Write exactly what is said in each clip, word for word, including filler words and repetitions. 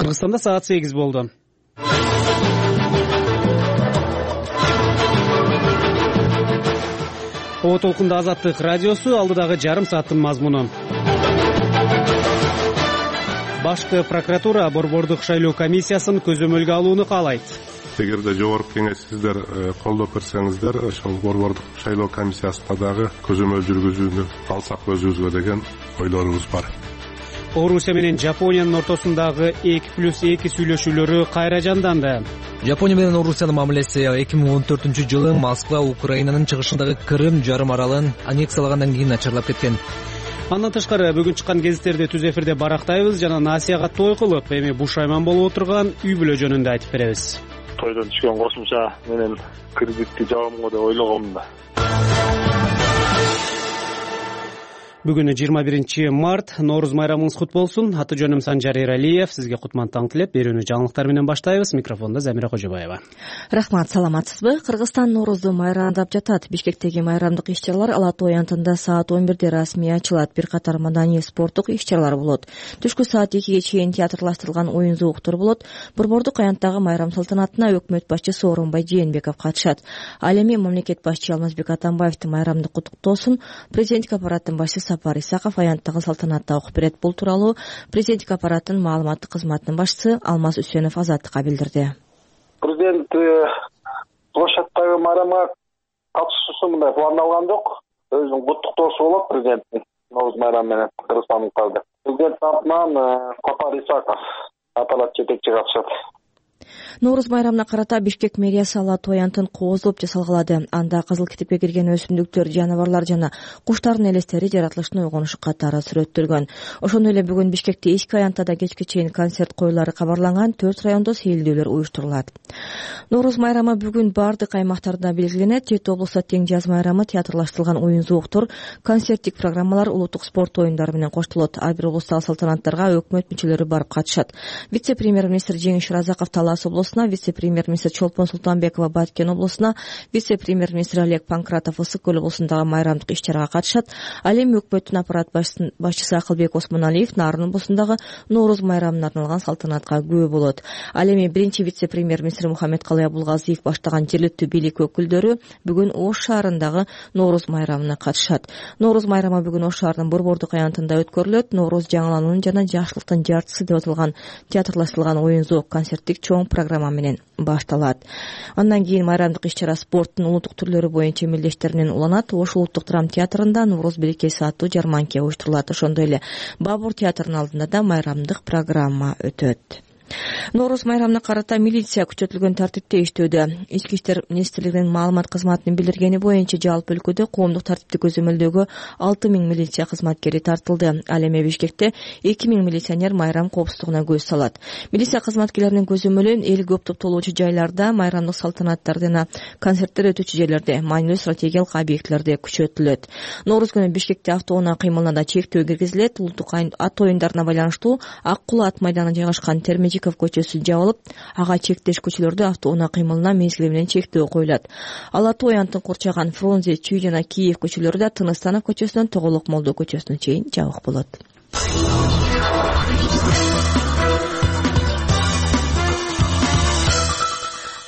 Кыргызстанда саат сегиз болду. О толкунда Азаттык радиосу, алдыдагы жарым сааттын мазмуну. Башкы прокуратура борбордук шайлоо комиссиясын көзөмөлгө алууну каалайт. Эгерде жогорку кеңеш сиздер колдоп берсеңиздер, ошол борбордук шайлоо комиссиясына дагы көзөмөл жүргүзүүнү алсак өзүбүзгө деген ойлорубуз бар. Орусия менен Жапониянын ортосундагы эки плюс эки сүйлөшүүлөрү кайра жанданды. Жапония менен Орусиянын мамилеси эки миң он төртүнчү жылы Москва Украинанын чыгышындагы Крым жарым аралын аннексиялагандан кийин начарлап кеткен. Андан тышкары бүгүн чыккан гезиттерди түз эфирде барактайбыз жана насияга той кылып, эми бушайман болуп отурган үй бүлө жөнүндө айтып беребиз. Тойдон түшкөн кошумча менен кредитти жабамго деп ойлогом да. Бүгүн жыйырма биринчи март, Нооруз майрамыңыз кут болсун. Аты жөнүм Санжар Эралиев. Сизге кутман таң тилеп, берүүнү жаңылыктар менен баштайбыз. Микрофондо Замира Кожобаева. Рахмат, саламатсызбы? Кыргызстан Ноорузду майрамдап жатат. Бишкектеги майрамдык иш-чаралар Ала Той антында саат он бирде расмий ачылат. Бир катар маданий спорттук иш-чаралар болот. Түшкү саат экиге чейин театрлаштырылган оюн зооктор болот. Борбордук аянттагы майрам салтанатына өкмөт башчысы Орунбай Жээнбеков катышат. Ал эми мамлекет башчы Алмазбек Атамбаевди майрамдык куттуктоосун президенттик аппараттын башчысы Сапар Исаков аянттагы салтанатта окуп берет. Бул тууралуу президенттик аппараттын маалыматтык кызматынын башчысы Алмаз Үсөнов Азаттыкка билдирди. Президент площадтагы майрамга катышуусу мындай пландалган жок. Өзүнүн куттуктоосу болот президенттин Нооруз майрамы менен кыргызстандыктарды. Президент атынан Сапар Исаков аппарат жетекчи катышат. Нооруз майрамына карата Бишкек мэриясы Ала Той антын кооздоп жасалгалады. Анда кызыл китепке кирген өсүмдүктөр, жаныбарлар жана куштардын элестери жаратылыштын ойгонушу катары сүрөттөлгөн. Ошондой эле бүгүн Бишкекте эки аянтада кечке чейин концерт коюлары кабарланган. Төрт райондо сейилдөөлөр уюштурулат. Нооруз майрамы бүгүн бардык аймактарда белгиленет. Жети облустта тең жаз майрамы, театрлаштырылган оюн зооктор, концерттик программалар, улуттук спорт оюндары менен коштолот. Ар бир облустагы салтанаттарга өкмөт мүчөлөрү барып катышат. Вице-премьер-министр Жеңиш Разаков Талас облусуна, вице-премьер-министр Чолпон Султанбекова Баткен облусуна, вице-премьер-министр Олег Панкратов Ысык көл облусундагы майрамдык иш-чарага катышат. Ал эми өкмөттүн аппарат башчысы Акылбек Осмоналиев Нарын облусундагы Нооруз майрамына арналган салтанатка күбө болот. Ал эми биринчи вице-премьер-министр Мухаммедкалый Абулгазиев баштаган жергиликтүү бийлик өкүлдөрү бүгүн Ош шаарындагы Нооруз майрамына катышат. Нооруз майрамы бүгүн Ош шаарынын борбордук аянтында өткөрүлөт. Нооруз жаңылануунун жана жакшылыктын жартысы деп аталган театрлаштырылган оюн зоок концерттик чоң программа менен башталат. Андан кийин майрамдык иш-чара спорттун улуттук түрлөрү боюнча эмелдештер менен уланат. Ош улуттук драма театрында Нооруз берекеси аттуу жарманке уюштурулат. Ошондой эле Бабур театрынын алдында да майрамдык программа өтөт. Нооруз майрамына карата милиция күчөтүлгөн тартипте иштөөдө. Ички иштер министрлигинин маалымат кызматынын билдиргени боюнча жалпы өлкөдө коомдук тартипти көзөмөлдөөгө алты миң милиция кызматкери тартылды. Ал эми Бишкекте эки миң милиционер майрам коопсуздугуна көз салат. Милиция кызматкерлеринин көзөмөлү эл көп топтолуучу жайларда, майрамдык салтанаттарда жана концерттер өтүүчү жерлерде, маанилүү стратегиялык объектилерде күчөтүлөт. Нооруз күнү Бишкекте автоунаа кыймылына да чектөө киргизилет. Улуттук ат оюндарына байланыштуу Ак Кулы ат майданына жайгашкан Термежиков көчөсү жабылып, ага чектеш көчөлөрдө автоунаа кыймылына мезгили менен чектөө коюлат. Ала Той антын курчаган Фрунзе, Чүй жана Киев көчөлөрү да Тыныстанов көчөсүнөн Тоголок Молдо көчөсүнө чейин жабык болот.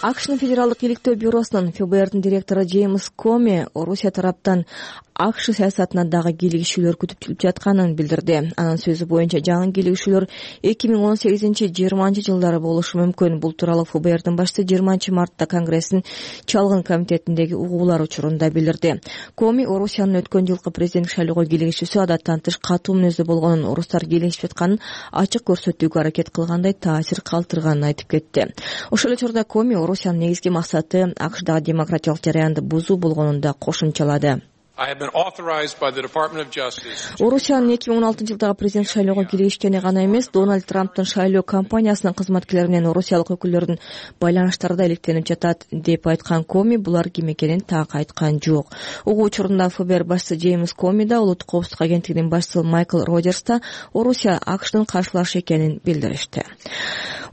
АКШнын Федералдык иликтөө бюросунун эф бэ эрдин директору Джеймс Коми Орусия тараптан АКШ саясатына дагы кийлигишүүлөр күтүп жатканын билдирди. Анын сөзү боюнча жаңы кийлигишүүлөр эки миң он сегизинчи жыйырманчы жылдары болушу мүмкүн. Бул тууралуу эф бэ эрдин башчысы жыйырманчы мартта Конгресстин чалгын комитетиндеги угуулар учурунда билдирди. Коми Орусиянын өткөн жылкы президенттик шайлоого кийлигишүүсү адаттан тыш катуу мүнөздө болгонун, орустар кийлигишип жатканын ачык көрсөтүүгө аракет кылгандай таасир калтырганын айтып кетти. Ошол эле учурда Коми Орусиянын негизги максаты АКШдагы демократиялык жараянды бузуу болгонун да кошумчалады. Орусиянын эки миң он алтынчы жылдагы президент шайлоого кийлигишкени гана эмес, Дональд Трамптын шайлоо кампаниясынын кызматкерлери менен орусиялык өкүлдөрдүн байланыштары да иликтенип жатат деп айткан Коми булар ким экенин так айткан жок. Угуу учурунда эф бэ эр башчысы Джеймс Коми да, улуттук коопсуздук агенттигинин башчысы Майкл Роджерс да Орусия АКШдын каршылашы экенин билдиришти.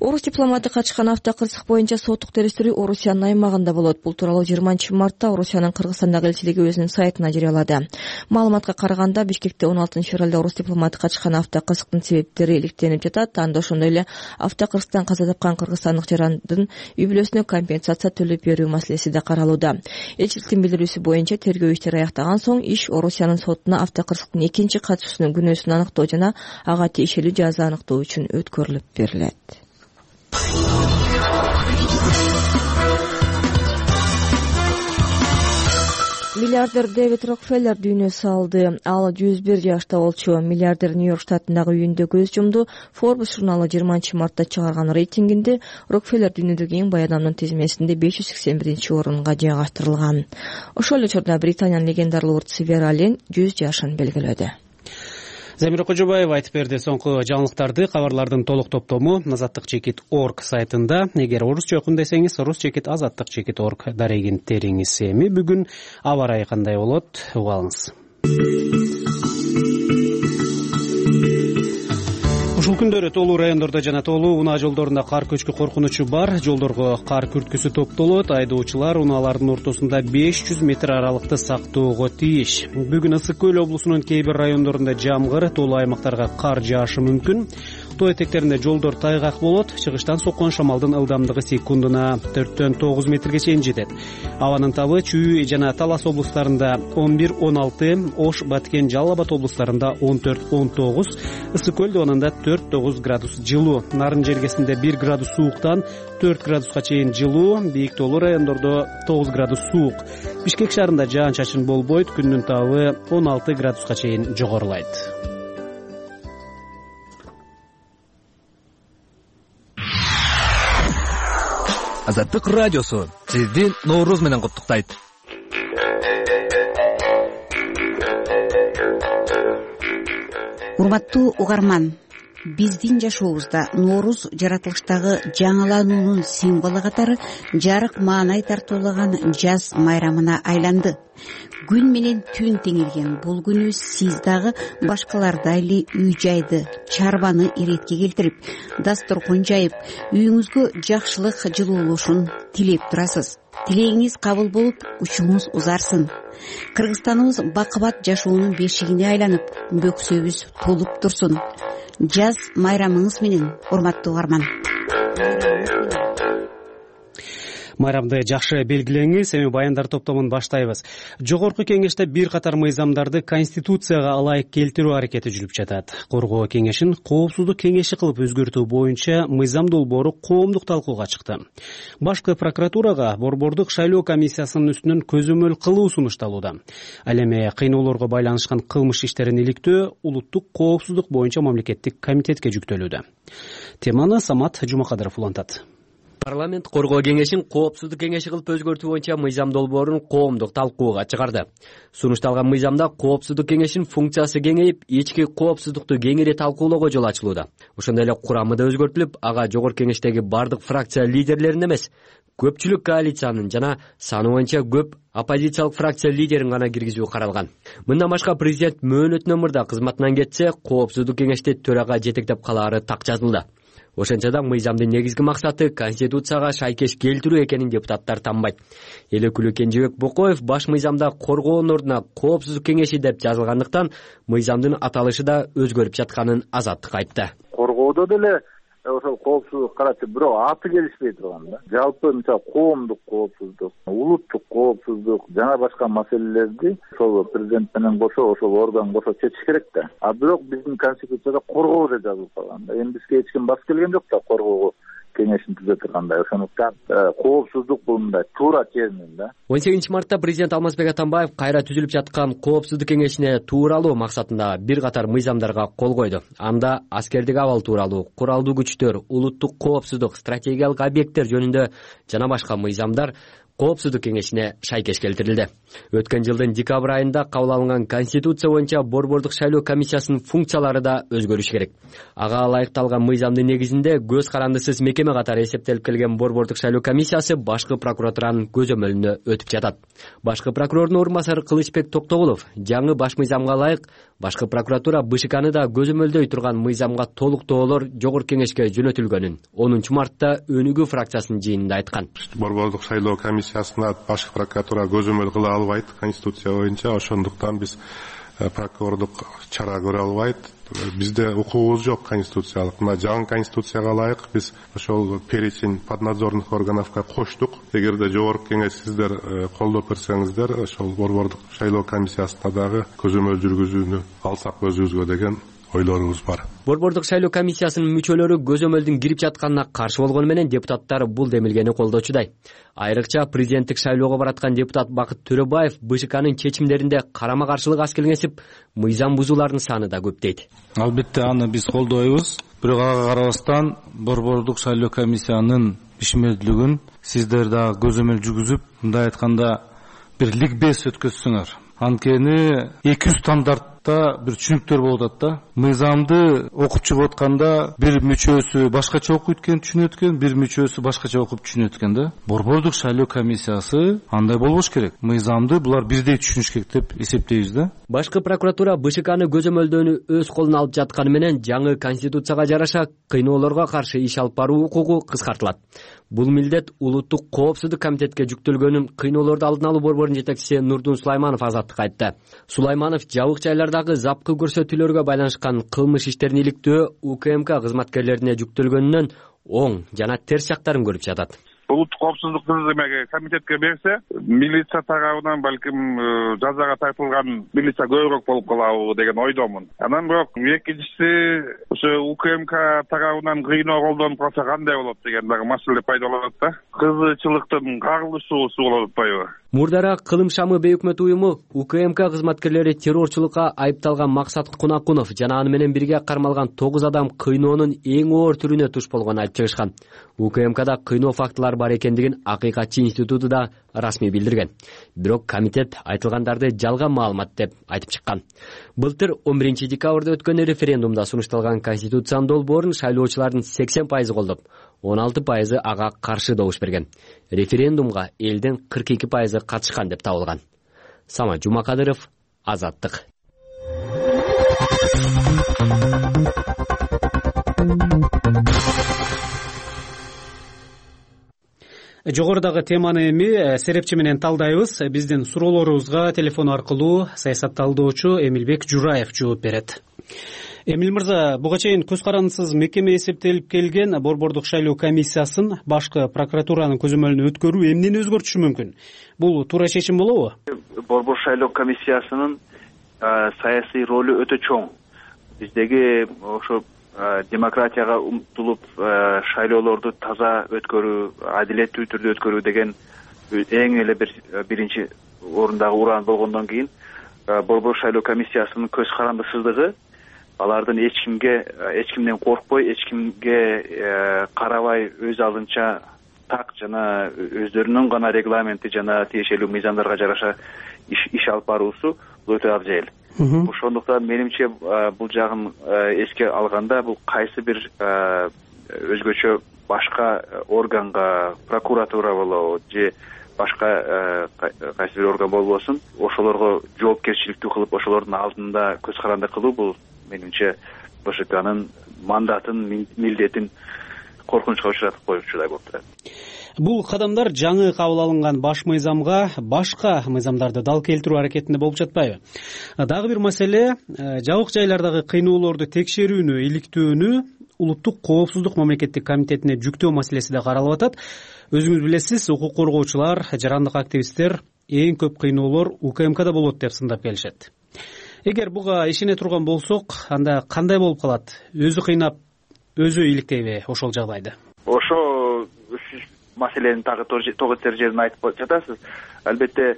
Орус дипломаты качкан автокырсык боюнча соттук териштирүү Орусиянын аймагында болот. Бул тууралуу жыйырманчы мартта Орусиянын Кыргызстандагы элчилиги өзүнүн сайтына жарыялады. Маалыматка караганда, Бишкекте он алтынчы февралда орус дипломаты качкан автокырсыктын себептери иликтенип жатат. Анда ошондой эле автокырсыктан каза тапкан кыргызстандык жарандын үй бүлөсүнө компенсация төлөп берүү маселеси да каралууда. Элчиликтин билдирүүсү боюнча тергөө иштери аяктаган соң иш Орусиянын сотуна автокырсыктын экинчи катчысынын күнөөсүн аныктоо жана ага тиешелүү жаза аныктоо үчүн өткөрүлүп берилет. Миллиардер Дэвид Рокфеллер дүйнө салды. Ал жүз бир жашта болчу. Миллиардер Нью-Йорк штатындагы үйүндө көз жумду. Forbes журналы жыйырманчы мартта чыгарган рейтингинде Рокфеллер дүйнөдөгү эң бай адамдын тизмесинде беш жүз сексен биринчи орунга жайгаштырылган. Ошол эле учурда Британиянын легендарлуу урдусы Вера Аллен жүз жашын белгилөдү. Замира Кожобаева айтып берди. Соңку жаңылыктарды, кабарлардын толук топтому азаттык чекит точка орг сайтында. Эгер орусча окуйм десеңиз, орус чекит азаттык чекит точка орг дарегин териңиз. Эми бүгүн аба ырайы кандай болот? Угалыңыз. Ушул күндөрү тоолуу райондордо жана тоолуу унаа жолдорунда кар көчкү коркунучу бар. Жолдорго кар күрткүсү топтолот. Айдоочулар унаалардын ортосунда беш жүз метр аралыкты сактоого тийиш. Бүгүн Ысык Көл облусунун кээ бир райондорунда жамгыр, тоолуу аймактарга кар жаашы мүмкүн. Тоо этектеринде жолдор тайгак болот. Чыгыштан соккон шамалдын ылдамдыгы секундуна төрттөн тогуз метрге чейин жетет. Абанын табы Чүй жана Талас облустарында он бир он алты, Ош, Баткен, Жалал Абад облустарында он төрт он тогуз, Ысык Көл доонунда төрт тогуз градус жылуу. Нарын жергесинде бир градус сууктан төрт градуска чейин жылуу, бийик тоолуу райондордо тогуз градус суук. Бишкек шаарында жаан-чачын болбойт, күндүн табы он алты градуска чейин жогорулайт. Азаттык радиосу сизди Нооруз менен куттуктайт. Урматтуу угарман, биздин жашообузда Нооруз жаратылыштагы жаңылануунун символу катары жарык маанай тартуулаган жаз майрамына айланды. Күн менен түн теңирген бул күнү сиз дагы башкалардай эле үй жайды, чарбаны иретке келтирип, дасторкон жайып, үйүңүзгө жакшылык жылуулушун тилеп турасыз. Тилегиңиз кабыл болуп, учуңуз узарсын. Кыргызстаныбыз бакыбат жашоонун бешигине айланып, бөксөбүз толуп турсун. Жаз майрамыңыз менен, урматтуу угарман. Майрамды жакшы белгилеңиз. Эми баяндар топтомун баштайбыз. Жогорку кеңеште бир катар мыйзамдарды Конституцияга ылайык келтирүү аракети жүрүп жатат. Коргоо кеңешин коопсуздук кеңеши кылып өзгөртүү боюнча мыйзам долбоору коомдук талкууга чыкты. Башкы прокуратурага борбордук шайлоо комиссиясынын үстүнөн көзөмөл кылуу сунушталууда. Ал эми кыйноолорго байланышкан кылмыш иштерин иликтөө улуттук коопсуздук боюнча мамлекеттик комитетке жүктөлүүдө. Теманы Самат Жумакадыров улантат. Парламент коргоо кеңешин коопсуздук кеңеши кылып өзгөртүү боюнча мыйзам долбоорун коомдук талкууга чыгарды. Сунушталган мыйзамда коопсуздук кеңешин функциясы кеңейип, ички коопсуздукту кеңири талкуулоого жол ачылууда. Ошондой эле курамы да өзгөртүлүп, ага жогорку кеңештеги бардык фракция лидерлерин эмес, көпчүлүк коалициянын жана саны боюнча көп оппозициялык фракция лидерин гана киргизүү каралган. Мындан башка президент мөөнөтүнөн мурда кызматынан кетсе, коопсуздук кеңешти төрага жетектеп калаары так жазылды. Ошентсе да мыйзамдын негизги максаты Конституцияга шайкеш келтирүү экенин депутаттар танбайт. Эл өкүлү Кенжебек Бокоев баш мыйзамда коргоонун ордуна коопсуздук кеңеши деп жазылгандыктан мыйзамдын аталышы да өзгөрүп жатканын Азаттыкка айтты. Коргоодо деле ошол коопсуздук карачы бирок аты келишпей турган да. Жалпы мисалы коомдук коопсуздук, улуттук коопсуздук жана башка маселелерди ошол президент менен кошо ошол орган кошо чечиш керек да. А бирок биздин конституцияда коргоо деп жазылып калган да. Эми бизге эч ким бас келген жок да коргоого кеңешин түзө тургандай. Ошондуктан коопсуздук бул мындай туура термин да. он сегизинчи мартта президент Алмазбек Атамбаев кайра түзүлүп жаткан коопсуздук кеңешине тууралуу максатында бир катар мыйзамдарга кол койду. Анда аскердик абал тууралуу, куралдуу күчтөр, улуттук коопсуздук, стратегиялык объекттер жөнүндө жана башка мыйзамдар коопсуздук кеңешине шайкеш келтирилди. Өткөн жылдын декабрь айында кабыл алынган конституция боюнча борбордук шайлоо комиссиясынын функциялары да өзгөрүшү керек. Ага ылайыкталган мыйзамдын негизинде көз карандысыз мекеме катары эсептелип келген борбордук шайлоо комиссиясы башкы прокуратуранын көзөмөлүнө өтүп жатат. Башкы прокурордун орун басары Кылычбек Токтогулов жаңы баш мыйзамга ылайык башкы прокуратура БШКны да көзөмөлдөй турган мыйзамга толуктоолор жогорку кеңешке жөнөтүлгөнүн онунчу мартта Өнүгүү фракциясынын жыйынында айткан. Борбордук шайлоо комиссиясына башкы прокуратура көзөмөл кыла албайт конституция боюнча, ошондуктан биз прокурордук чара көрө албайт. Бизде укугубуз жок конституциялык. Мына жаңы конституцияга ылайык биз ошол перечень поднадзорных органовго коштук. Эгерде жогорку кеңеш сиздер колдоп берсеңиздер, ошол борбордук шайлоо комиссиясына дагы көзөмөл жүргүзүүнү алсак өзүбүзгө деген ойлорубуз бар. Борбордук шайлоо комиссиясынын мүчөлөрү көзөмөлдүн кирип жатканына каршы болгону менен депутаттар бул демилгени колдочудай. Айрыкча президенттик шайлоого бараткан депутат Бакыт Төрөбаев БШКнын чечимдеринде карама каршылык аз келгенсип, мыйзам бузуулардын саны да көп дейт. Албетте аны биз колдойбуз. Бирок ага карабастан борбордук шайлоо комиссиянын ишмердүүлүгүн сиздер дагы көзөмөл жүргүзүп, мындай айтканда бир ликбез өткөзсөңөр. Анткени эки жүз стандартта бир түшүнүктөр болуп атат да. Мыйзамды окуп чыгып атканда бир мүчөсү башкача окуйт экен, түшүнөт экен, бир мүчөсү башкача окуп түшүнөт экен да. Борбордук шайлоо комиссиясы андай болбош керек. Мыйзамды булар бирдей түшүнүш керек деп эсептейбиз да. Башкы прокуратура БШКны көзөмөлдөөнү өз колуна алып жатканы менен жаңы конституцияга жараша кыйноолорго каршы иш алып баруу укугу кыскартылат. Бул милдет улуттук коопсуздук комитетке жүктөлгөнүн кыйноолорду алдын алуу борборунун жетекчиси Нурдун Сулайманов азаттыкка айтты. Сулайманов жабык жайлардагы запкы көрсөтүүлөргө байланышкан кылмыш иштерин иликтөө УКМК кызматкерлерине жүктөлгөнүнөн оң жана терс жактарын көрүп жатат. Улуттук коопсуздук комитетке берсе, милиция тарабынан балким жазага тартылган милиция көбүрөөк болуп калабы деген ойдомун. Анан бирок экинчиси ошо УКМК тарабынан кыйноо колдонуп калса кандай болот деген дагы маселе пайда болот да. Кызычылыктын карылышуусу болуп атпайбы? Мурдара Кылым шамы бейөкмөт уюму УКМК кызматкерлери террорчулукка айыпталган Максат Кунакунов жана аны менен бирге кармалган тогуз адам кыйноонун эң оор түрүнө туш болгонун айтып чыгышкан. УКМКда кыйноо фактылары бар экендигин Акыйкатчы институту да расмий билдирген. Бирок комитет айтылгандарды жалган маалымат деп айтып чыккан. Былтыр он биринчи декабрда өткөн референдумда сунушталган конституциянын долбоорун шайлоочулардын сексен пайызы колдоп, он алты пайызы ага каршы добуш берген. Референдумга элдин кырк эки пайызы катышкан деп табылган. Сама Жумакадыров, Азаттык. Жогорудагы теманы эми серепчи менен талдайбыз. Биздин суроолорубузга телефон аркылуу саясатталдоочу Эмилбек Жураев жооп берет. Эмил мырза, буга чейин көз карандысыз мекеме эсептелип келген борбордук шайлоо комиссиясын башкы прокуратуранын көзөмөлүнө өткөрүү эмнени өзгөртүшү мүмкүн? Бул туура чечим болобу? Борбор шайлоо комиссиясынын саясий ролу өтө чоң. Биздеги ошо демократияга умтулуп шайлоолорду таза өткөрүү, адилеттүү түрдө өткөрүү деген эң эле бир биринчи орундагы уран болгондон кийин борбор шайлоо комиссиясынын көз карандысыздыгы алардын эч кимге эч кимден коркпой, эч кимге карабай өз алдынча так жана өздөрүнүн гана регламенти жана тиешелүү мыйзамдарга жараша иш алып баруусу бул өтө абзел. Ошондуктан менимче бул жагын эске алганда бул кайсы бир өзгөчө башка органга, прокуратура болобу же башка кайсы бир орган болбосун, ошолорго жоопкерчиликтүү кылып, ошолордун алдында көз каранды кылуу бул менимче БШКнын мандатын, милдетин коркунучка учуратып коюучудай болуп турат. Бул кадамдар жаңы кабыл алынган баш мыйзамга башка мыйзамдарды дал келтирүү аракетинде болуп жатпайбы? Дагы бир маселе, жабык жайлардагы кыйноолорду текшерүүнү, иликтөөнү улуттук коопсуздук мамлекеттик комитетине жүктөө маселеси да каралып атат. Өзүңүз билесиз, укук коргоочулар, жарандык активисттер эң көп кыйноолор УКМКда болот деп сындап келишет. Эгер буга ишене турган болсок, анда кандай болуп калат? Өзү кыйнап, өзү иликтейби ошол жагдайды? Ошо маселенин тагы тогуз жерин айтып жатасыз. Албетте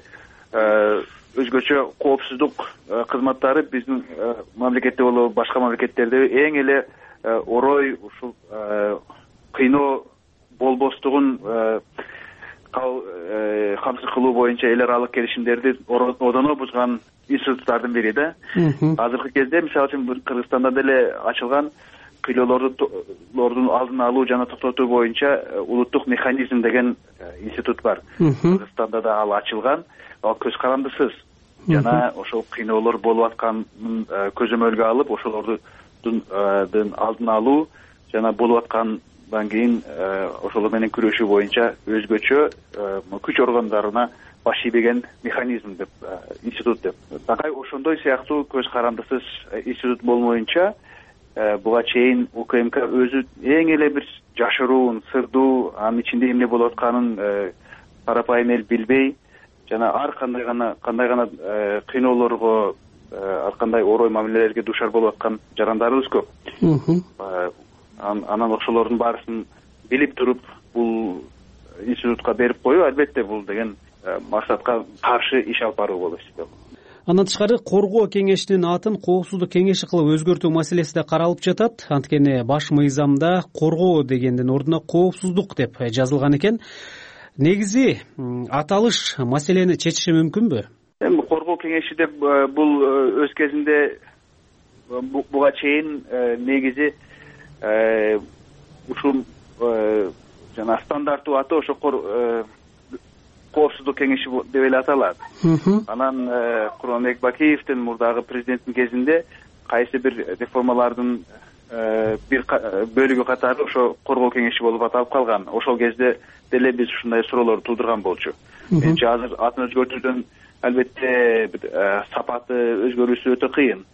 өзгөчө коопсуздук кызматтары биздин мамлекетте болобу, башка мамлекеттерде эң эле орой ушул кыйноо болбостугун камсыз кылуу боюнча эл аралык келишимдерди одоно бузган институттардын бири да. Азыркы кезде мисалы үчүн Кыргызстанда деле ачылган кыйлоолордун алдын алуу жана токтотуу боюнча улуттук механизм деген институт бар. Кыргызстанда да ал ачылган, ал көз карандысыз жана ошол кыйноолор болуп атканын көзөмөлгө алып, ошолордун алдын алуу жана болуп аткандан кийин ошолор менен күрөшүү боюнча өзгөчө күч органдарына баш ийбеген механизм деп институт деп. Такай ошондой сыяктуу көз карандысыз институт болмоюнча буга чейин УКМК өзү эң эле бир жашыруун, сырдуу, анын ичинде эмне болуп атканын парапайым эл билбей жана ар кандай гана кандай гана кыйноолорго, ар кандай орой мамилелерге дуушар болуп аткан жарандарыбыз көп. Анан ошолордун баарысын билип туруп бул институтка берип коюу албетте бул деген максатка каршы иш алып баруу болуп эсептелет. Андан тышкары коргоо кеңешинин атын коопсуздук кеңеши кылып өзгөртүү маселеси да каралып жатат. Анткени баш мыйзамда коргоо дегендин ордуна коопсуздук деп жазылган экен. Негизи аталыш маселени чечиши мүмкүнбү? Эми коргоо кеңеши деп бул өз кезинде буга чейин негизи ушул жана стандарттуу аты ошо коопсуздук кеңеши деп эле аталат. Анан Курманбек Бакиевдин мурдагы президенттин кезинде кайсы бир реформалардын бир бөлүгү катары ошо коргоо кеңеши болуп аталып калган. Ошол кезде деле биз ушундай суроолорду туудурган болчу. Менимче азыр атын өзгөртүүдөн албетте сапаты өзгөрүүсү өтө кыйын.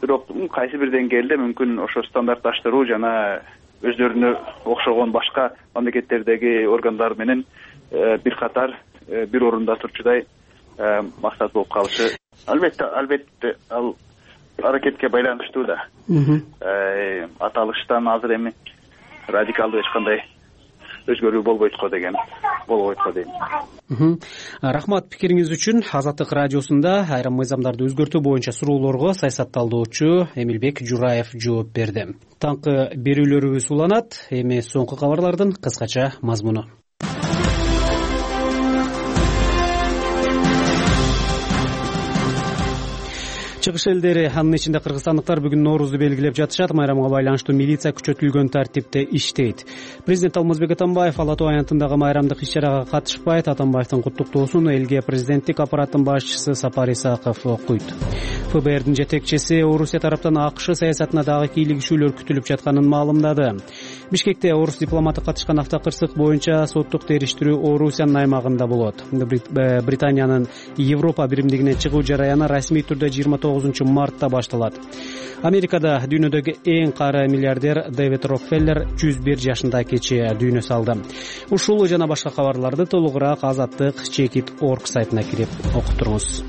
Бирок кайсы бир деңгээлде мүмкүн ошо стандартташтыруу жана өздөрүнө окшогон башка мамлекеттердеги органдар менен бир катар бир орунда турчудай максат болуп калышы албетте албетте ал аракетке байланыштуу да. Аталыштан азыр эми радикалдуу эч кандай өзгөрүү болбойт го деген болбойт го дейм. Рахмат пикириңиз үчүн. Азаттык радиосунда айрым мыйзамдарды өзгөртүү боюнча суроолорго саясатталдоочу Эмилбек Жураев жооп берди. Таңкы берүүлөрүбүз уланат. Эми соңку кабарлардын кыскача мазмуну. Чыгыш элдери, анын ичинде кыргызстандыктар бүгүн Ноорузду белгилеп жатышат. Майрамга байланыштуу милиция күчөтүлгөн тартипте иштейт. Президент Алмазбек Атамбаев Ала Тоо аянтындагы майрамдык иш-чарага катышпайт. Атамбаевдин куттуктоосун элге президенттик аппараттын башчысы Сапар Исаков окуйт. ФБРдин жетекчиси Орусия тараптан АКШ саясатына дагы кийлигишүүлөр күтүлүп жатканын маалымдады. Бишкекте орус дипломаты катышкан автокырсык боюнча соттук териштирүү Орусиянын аймагында болот. Британиянын Европа биримдигинен чыгуу жараяны расмий түрдө жыйырма тогузунчу мартта башталат. Америкада дүйнөдөгү эң кары миллиардер Дэвид Рокфеллер жүз бир жашында кечээ дүйнө салды. Ушул жана башка кабарларды толугураак Азаттык чекит точка орг сайтына кирип окуп туруңуз.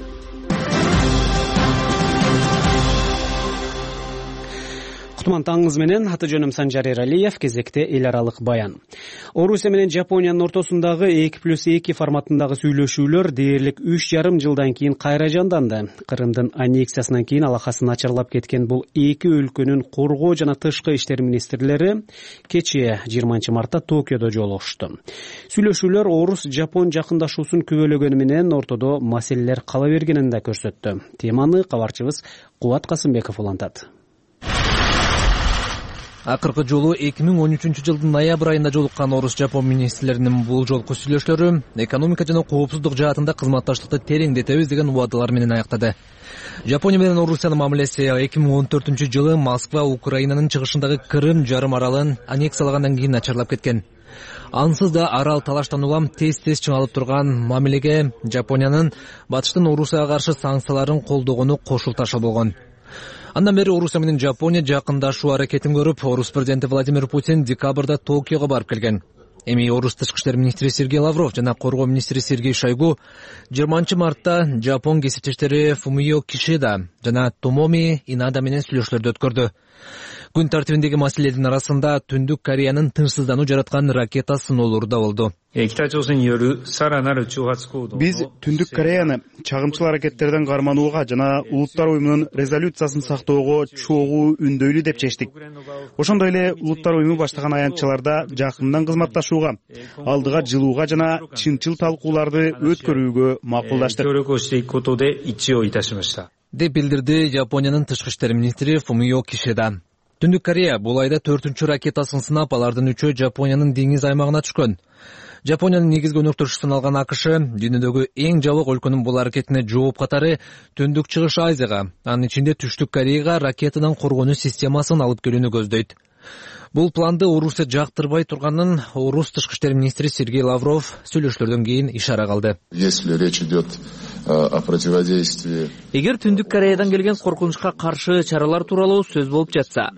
Кутман таңыңыз менен, аты жөнүм Санжар Эралиев. Кезекте эл аралык баян. Орусия менен Жапониянын ортосундагы эки плюс эки форматындагы сүйлөшүүлөр дээрлик үч жарым жылдан кийин кайра жанданды. Кырымдын аннексиясынан кийин алакасы начарлап кеткен бул эки өлкөнүн коргоо жана тышкы иштер министрлери кечээ жыйырманчы мартта Токиодо жолугушту. Сүйлөшүүлөр орус-жапон жакындашуусун күбөлөгөнү менен ортодо маселелер кала бергенин да көрсөттү. Теманы кабарчыбыз Кубат Касымбеков улантат. Акыркы жолу эки миң он үчүнчү жылдын ноябрь айында жолуккан орус-жапон министрлеринин бул жолку сүйлөшүүлөрү экономика жана коопсуздук жаатында кызматташтыкты тереңдетебиз деген убадалар менен аяктады. Жапония менен Орусиянын мамилеси эки миң он төртүнчү жылы Москва Украинанын чыгышындагы Крым жарым аралын аннексиялагандан кийин начарлап кеткен. Ансыз да арал талаштан улам тез-тез чыңалып турган мамилеге Жапониянын батыштын Орусияга каршы санкцияларын колдогону кошул ташыл болгон. Андан бери Орусия менен Жапония жакындашуу аракетин көрүп, орус президенти Владимир Путин декабрда Токиого барып келген. Эми орус тышкы иштер министри Сергей Лавров жана коргоо министри Сергей Шойгу жыйырманчы мартта Жапон кесиптештери Фумио Кишида жана Томоми Инада менен сүйлөшүүлөрдү өткөрдү. Күн тартибиндеги маселелердин арасында Түндүк Кореянын тынчсыздануу жараткан ракета сыноолору да болду. Биз Түндүк Кореяны чагымчыл аракеттерден карманууга жана Улуттар уюмунун резолюциясын сактоого чогуу үндөйлү деп чечтик. Ошондой эле Улуттар уюму баштаган аянтчаларда жакындан кызматташууга, алдыга жылууга жана чынчыл талкууларды өткөрүүгө макулдаштык деп билдирди Жапониянын тышкы иштер министри Фумио Кишида. Түндүк Корея бул айда төртүнчү ракетасын сынап, алардын үчөө Жапониянын деңиз аймагына түшкөн. Жапониянын негизги өнөктөшүсүн алган АКШ дүйнөдөгү эң жабык өлкөнүн бул аракетине жооп катары Түндүк Чыгыш Азияга, анын ичинде Түштүк Кореяга ракетадан коргонуу системасын алып келүүнү көздөйт. Бул планды Орусия жактырбай турганын Орус тышкы иштер министри Сергей Лавров сүйлөшүүлөрдөн кийин ишара кылды. Если речь идет о противодействии. Эгер Түндүк Кореядан келген коркунучка каршы чаралар тууралуу сөз болуп жатса,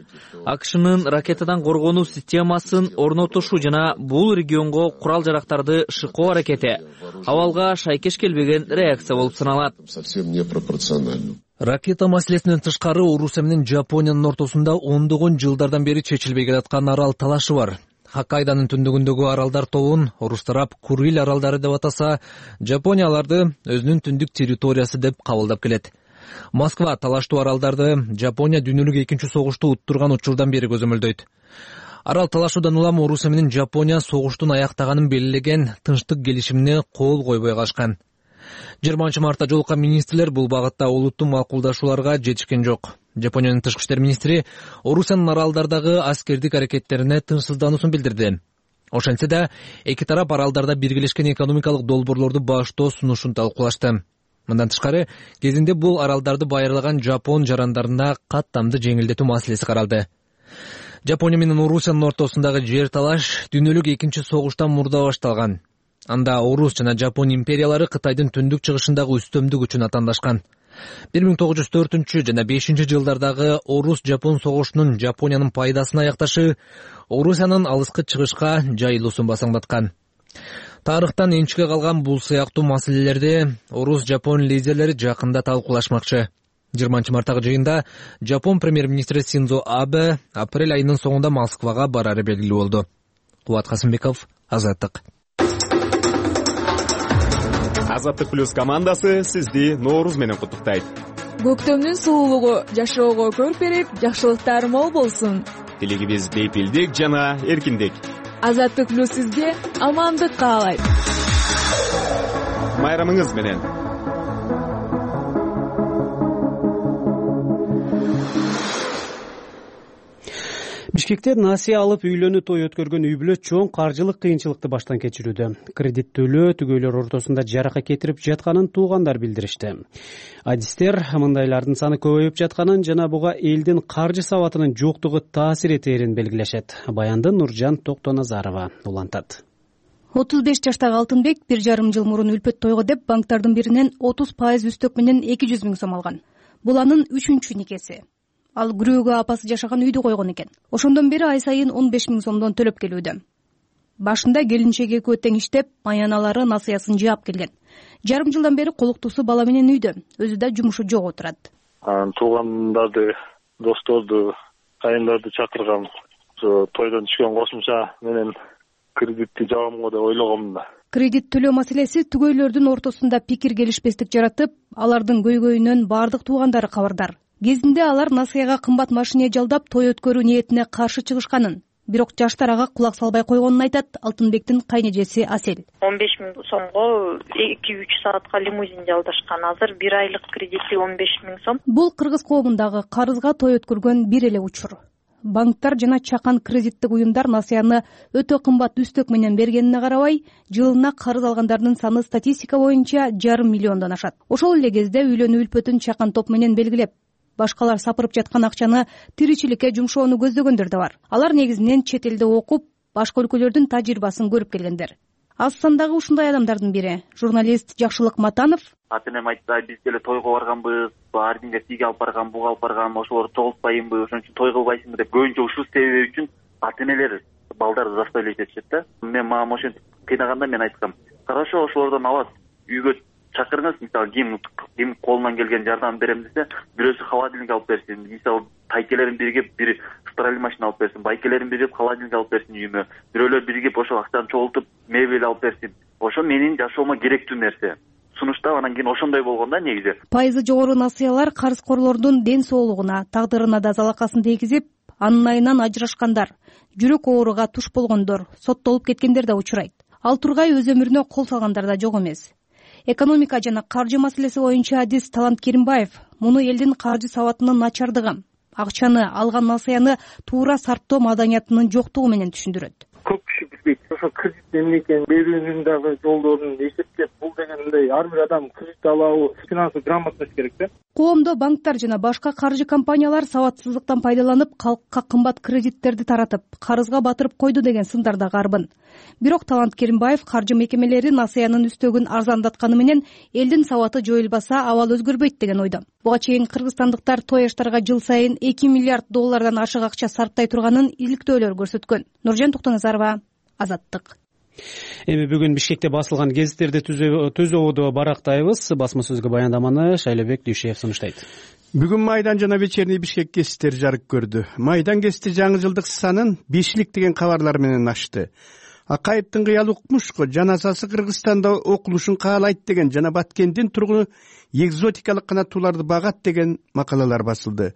АКШнын ракетадан коргонуу системасын орнотушу жана бул регионго курал-жарактарды шыкоо аракети абалга шайкеш келбеген реакция болуп саналат. Совсем непропорционально. Ракета маселесинен тышкары Орусия менен Жапониянын ортосунда ондогон жылдардан бери чечилбей келаткан арал талашы бар. Хоккайдонун түндүгүндөгү аралдар тобун орус тарап Курил аралдары деп атаса, Жапония аларды өзүнүн түндүк территориясы деп кабылдап келет. Москва талаштуу аралдарды Жапония дүйнөлүк экинчи согушту уттурган учурдан бери көзөмөлдөйт. Арал талашуудан улам Орусия менен Жапония согуштун аяктаганын белгилеген тынчтык келишимине кол койбой калышкан. жыйырманчы мартта жолуккан министрлер бул багытта олуттуу макулдашууларга жетишкен жок. Жапониянын тышкы иштер министри Орусиянын аралдардагы аскердик аракеттерине тынчсыздануусун билдирди. Ошентсе да, эки тарап аралдарда биргелешкен экономикалык долбоорлорду баштоо сунушун талкуулашты. Мындан тышкары, кезинде бул аралдарды байырлаган Жапон жарандарына каттамды жеңилдетүү маселеси каралды. Жапония менен Орусиянын ортосундагы жер талаш дүйнөлүк экинчи согуштан мурда башталган. Анда Орус жана Жапон империялары Кытайдын түндүк чыгышындагы үстөмдүк үчүн атаандашкан. бир миң тогуз жүз төртүнчү жана бешинчи жылдардагы Орус-Жапон согушунун Жапониянын пайдасына аякташы Орусиянын алыскы чыгышка жайылуусун басаңдаткан. Тарыхтан энчиге калган бул сыяктуу маселелерди Орус-Жапон лидерлери жакында талкуулашмакчы. жыйырманчы марттагы жыйында Жапон премьер-министри Синдзо Абе апрель айынын соңунда Москвага барары белгилүү болду. Кубат Касымбеков, Азаттык. Азаттык плюс командасы сизди Нооруз менен куттуктайт. Көктөмдүн суулугу жашоого көрк берип, жакшылыктар мол болсун. Тилегибиз бейпилдик жана эркиндик. Азаттык плюс сизге амандык каалайт. Майрамыңыз менен. Бишкекте насыя алып үйлөнүү той өткөргөн үй бүлө чоң каржылык кыйынчылыкты баштан кечирүүдө. Кредит төлөө түгөйлөр ортосунда жарака кетирип жатканын туугандар билдиришти. Адистер мындайлардын саны көбөйүп жатканын жана буга элдин каржы сабатынын жоктугу таасир этээрин белгилешет. Баянды Нуржан Токтоназарова улантат. отуз беш жаштагы Алтынбек бир жарым жыл мурун үлпөт тойго деп банктардын биринен отуз пайыз үстөк менен эки жүз миң сом алган. Бул анын үчүнчү никеси. Ал күрөөгө апасы жашаган үйдү койгон экен. Ошондон бери ай сайын он беш миң сомдон төлөп келүүдө. Башында келинчеги экөө тең иштеп, аяналары насыясын жаап келген. Жарым жылдан бери колуктуусу бала менен үйдө, өзү да жумушу жок отурат. Туугандарды, досторду, кайындарды чакыргам. Ошо тойдон түшкөн кошумча менен кредитти жабамго деп ойлогом да. Кредит төлөө маселеси түгөйлөрдүн ортосунда пикир келишпестик жаратып, алардын көйгөйүнөн бардык туугандары кабардар. Кезинде алар насыяга кымбат машина жалдап той өткөрүү ниетине каршы чыгышканын, бирок жаштар ага кулак салбай койгонун айтат Алтынбектин кайнэжеси Асел. он беш миң сомго эки үч саатка лимузин жалдашкан. Азыр бир айлык кредити он беш миң сом. Бул кыргыз коомундагы карызга той өткөргөн бир эле учур. Банктар жана чакан кредиттик уюмдар насыяны өтө кымбат үстөк менен бергенине карабай, жылына карыз алгандардын саны статистика боюнча жарым миллиондон ашат. Ошол эле кезде үйлөнүү үлпөтүн чакан топ менен белгилеп, башкалар сапырып жаткан акчаны тиричиликке жумшоону көздөгөндөр да бар. Алар негизинен чет элде окуп, башка өлкөлөрдүн тажрыйбасын көрүп келгендер. Аз сандагы ушундай адамдардын бири журналист Жакшылык Матанов. Ата-энем айтты, биз деле тойго барганбыз, ар кимге тиги алып барган, буга алып барган, ошолорду чогултпайынбы, ошон үчүн той кылбайсыңбы деп көбүнчө ушул себеби үчүн ата-энелер балдарды заставлять этишет да. Мен мага ошентип кыйнаганда мен айткам, хорошо, ошолордон алат, үйгө чакырыңыз, мисалы ким ким колунан келген жардам берем десе, бирөөсү холодильник алып берсин, мисалы тайкелерин биригип бир стиральный машина алып берсин, байкелерин биригип холодильник алып берсин үйүмө, бирөөлөр биригип ошо акчаны чогултуп мебель алып берсин. Ошо менин жашоомо керектүү нерсе. Сунуштап анан кийин ошондой болгон да негизи. Пайызы жогору насыялар карызкорлордун ден соолугуна, тагдырына да залакасын тийгизип, анын айынан ажырашкандар, жүрөк ооруга туш болгондор, соттолуп кеткендер да учурайт. Ал тургай өз өмүрүнө кол салгандар да жок эмес. Экономика жана каржы маселеси боюнча адис Талант Керимбаев муну элдин каржы сабатынын начардыгы, акчаны алган насыяны туура сарптоо маданиятынын жоктугу менен түшүндүрөт. Көп киши билбейт. Ошо кредит эмнекени берүүнүн дагы жолдорун эсептеп, бул дегенде ар бир адам кредит алабы, финансовый грамотность керек да. Коомдо банктар жана башка каржы компаниялар сабатсыздыктан пайдаланып, калкка кымбат кредиттерди таратып, карызга батырып койду деген сындар да карбын. Бирок Талант Керимбаев каржы мекемелери насыянын үстөгүн арзандатканы менен элдин сабаты жоюлбаса абал өзгөрбөйт деген ойдо. Буга чейин кыргызстандыктар той аштарга жыл сайын эки миллиард доллардан ашык акча сарптай турганын иликтөөлөр көрсөткөн. Нуржан Токтоназарова, Азаттык. Эми бүгүн Бишкекте басылган гезиттерди түз ободо барактайбыз. Басма сөзгө баяндаманы Шайлобек Дүйшеев сунуштайт. Бүгүн Майдан жана вечерний Бишкек гезиттери жарык көрдү. Майдан гезити жаңы жылдык санын бешилик деген кабарлар менен ачты. Акаевдин кыял укмушко жаназасы Кыргызстанда окулушун каалайт деген жана Баткендин тургуну экзотикалык канаттууларды багат деген макалалар басылды.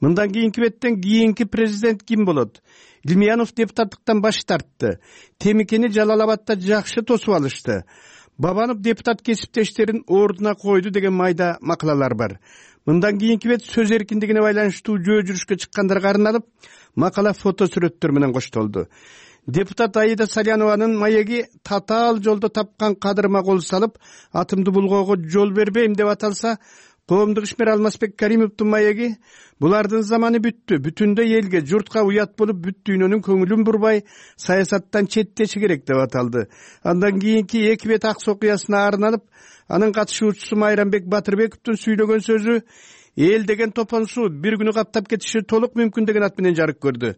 Мындан кийинки беттен кийинки президент ким болот? Илмиянов депутаттыктан баш тартты. Темикени Жалал Абадда жакшы тосуп алышты. Бабанов депутат кесиптештерин ордуна койду деген майда макалалар бар. Мындан кийинки бет сөз эркиндигине байланыштуу жөө жүрүшкө чыккандарга арналып, макала фото сүрөттөр менен коштолду. Депутат Аида Салянованын маеги татаал жолдо тапкан кадырыма кол салып, атымды булгоого жол бербейм деп аталса, коомдук ишмер Алмазбек Каримовдун маеги булардын заманы бүттү, бүтүндөй элге, журтка уят болуп, бүт дүйнөнүн көңүлүн бурбай, саясаттан четтеши керек деп аталды. Андан кийинки эки бет ак окуясына арналып, анын катышуучусу Майрамбек Батырбековдун сүйлөгөн сөзү эл деген топонсуу бир күнү каптап кетиши толук мүмкүн деген ат менен жарык көрдү.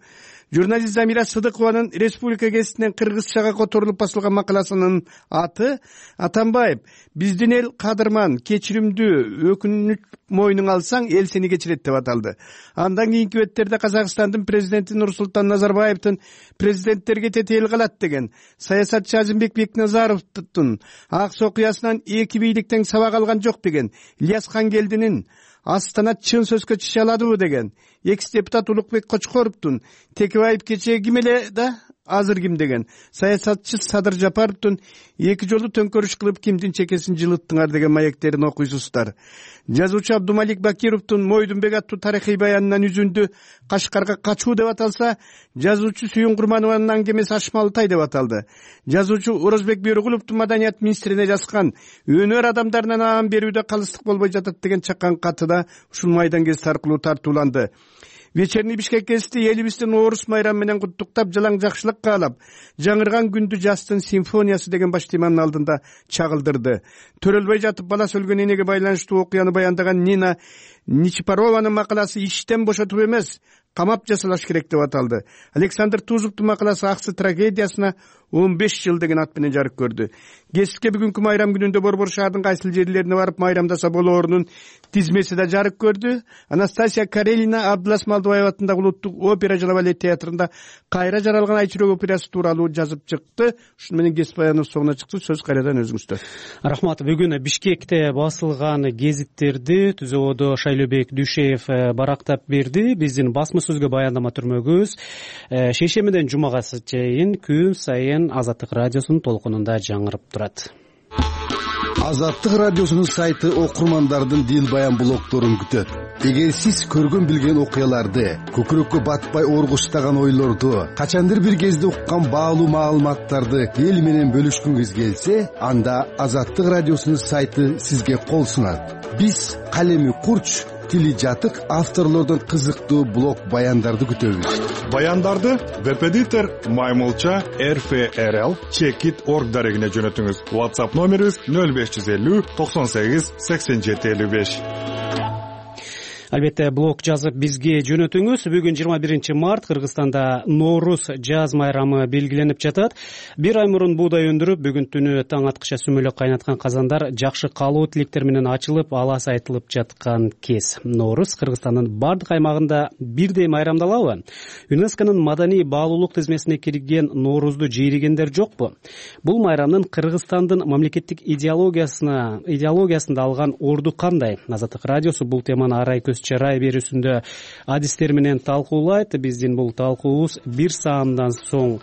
Журналист Замира Сыдыкованын Республика гезитинен кыргызчага которулуп басылган макаласынын аты Атамбаев: биздин эл кадырман, кечиримдүү, өкүнүч мойнуңа алсаң, эл сени кечирет деп аталды. Андан кийинки беттерде Казакстандын президенти Нурсултан Назарбаевдин президенттерге тетел калат деген, саясатчы Азимбек Бекназаровдун ак окуясынан эки бийликтен сабак алган жок деген, Ильяс Хангелдинин Астана чын сөзгө чыша аладыбы деген, экс-депутат Улукбек Кочкоровдун Текебаев кечээ ким эле да азыр ким деген, саясатчы Садыр Жапаровдун эки жолу төңкөрүш кылып кимдин чекесин жылыттыңар деген маектерин окуйсуздар. Жазуучу Абдумалик Бакировдун Мойдунбек аттуу тарыхый баянынан үзүндү Кашкарга качуу деп аталса, жазуучу Сүйүн Курманованын аңгемеси Ашмалтай деп аталды. Жазуучу Орозбек Бөйрөгуловдун маданият министрине жазган өнөр адамдарынан аан берүүдө калыстык болбой жатат деген чакан каты да ушул майдан гезити аркылуу тартууланды. Вечерний Бишкек гезити элибиздин орус майрамы менен куттуктап, жалаң жакшылык каалап, жаңырган күндү жастын симфониясы деген баш теманын алдында чагылдырды. Төрөлбөй жатып бала өлгөн энеге байланыштуу окуяны баяндаган Нина Ничипарованын макаласы иштен бошотуп эмес, камап жасалаш керек деп аталды. Александр Тузовдун макаласы Аксы трагедиясына он беш жыл деген ат менен жарык көрдү. Гезитке бүгүнкү майрам күнүндө Борбор шаардын кайсыл жерлерине барып майрамдаса болоорунун тизмеси да жарык көрдү. Анастасия Карелина Абдулас Малдыбаев атындагы улуттук опера жана балет театрында кайра жаралган Айчүрөк операсы тууралуу жазып чыкты. Ушуну менен гезит баяныбыз соңуна чыкты. Сөз кайрадан өзүңүздө. Рахмат. Бүгүн Бишкекте басылган гезиттерди түз ободо Шайлобек Дүйшеев барактап берди. Биздин басма сөзгө баяндама түрмөгүбүз шейшембиден жумага чейин күн сайын Азаттык радиосунун толкунунда жаңырып турат. Азаттык радиосунун сайты окурмандардын дил баян блогдорун күтөт. Эгер сиз көргөн билген окуяларды, көкүрөккө батпай оргуштаган ойлорду, качандыр бир кезде уккан баалуу маалыматтарды эл менен бөлүшкүңүз келсе, анда Азаттык радиосунун сайты сизге кол сунат. Биз калеми курч, тили жатык авторлордон кызыктуу блог баяндарды күтөбүз. Баяндарды веб-эдитор Маймулча эр эф эр эл чекит точка орг дарегине жөнөтүңүз. WhatsApp номерибиз нөл беш жүз элүү токсон сегиз сексен жети элүү беш. Албетте блог жазып бизге жөнөтүңүз. Бүгүн жыйырма биринчи март Кыргызстанда Ноорус жаз майрамы белгиленип жатат. Бир ай мурун буудай өндүрүп, бүгүн түнү таң аткыча сүмөлөк кайнаткан казандар жакшы каалоо тилектер менен ачылып, алас айтылып жаткан кез. Ноорус Кыргызстандын бардык аймагында бирдей майрамдалабы? ЮНЕСКОнун маданий баалуулук тизмесине кирген Ноорузду жээригендер жокпу? Бул майрамдын Кыргызстандын мамлекеттик идеологиясына идеологиясында алган орду кандай? Азаттык радиосу бул теманы арай көз чарай берүүсүндө адистер менен талкуулайт. Биздин бул талкуубуз бир саамдан соң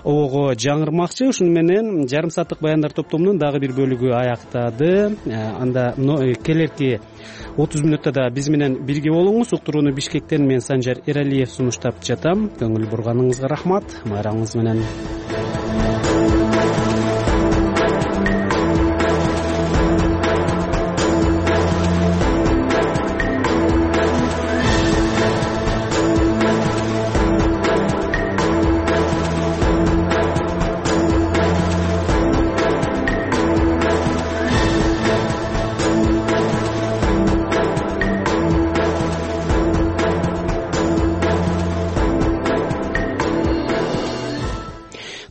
ого жаңырмакчы. Ушуну менен жарым сааттык баяндар топтомунун дагы бир бөлүгү аяктады. Анда келерки отуз мүнөттө да биз менен бирге болуңуз. Уктурууну Бишкектен мен Санжар Эралиев сунуштап жатам. Көңүл бурганыңызга рахмат. Майрамыңыз менен.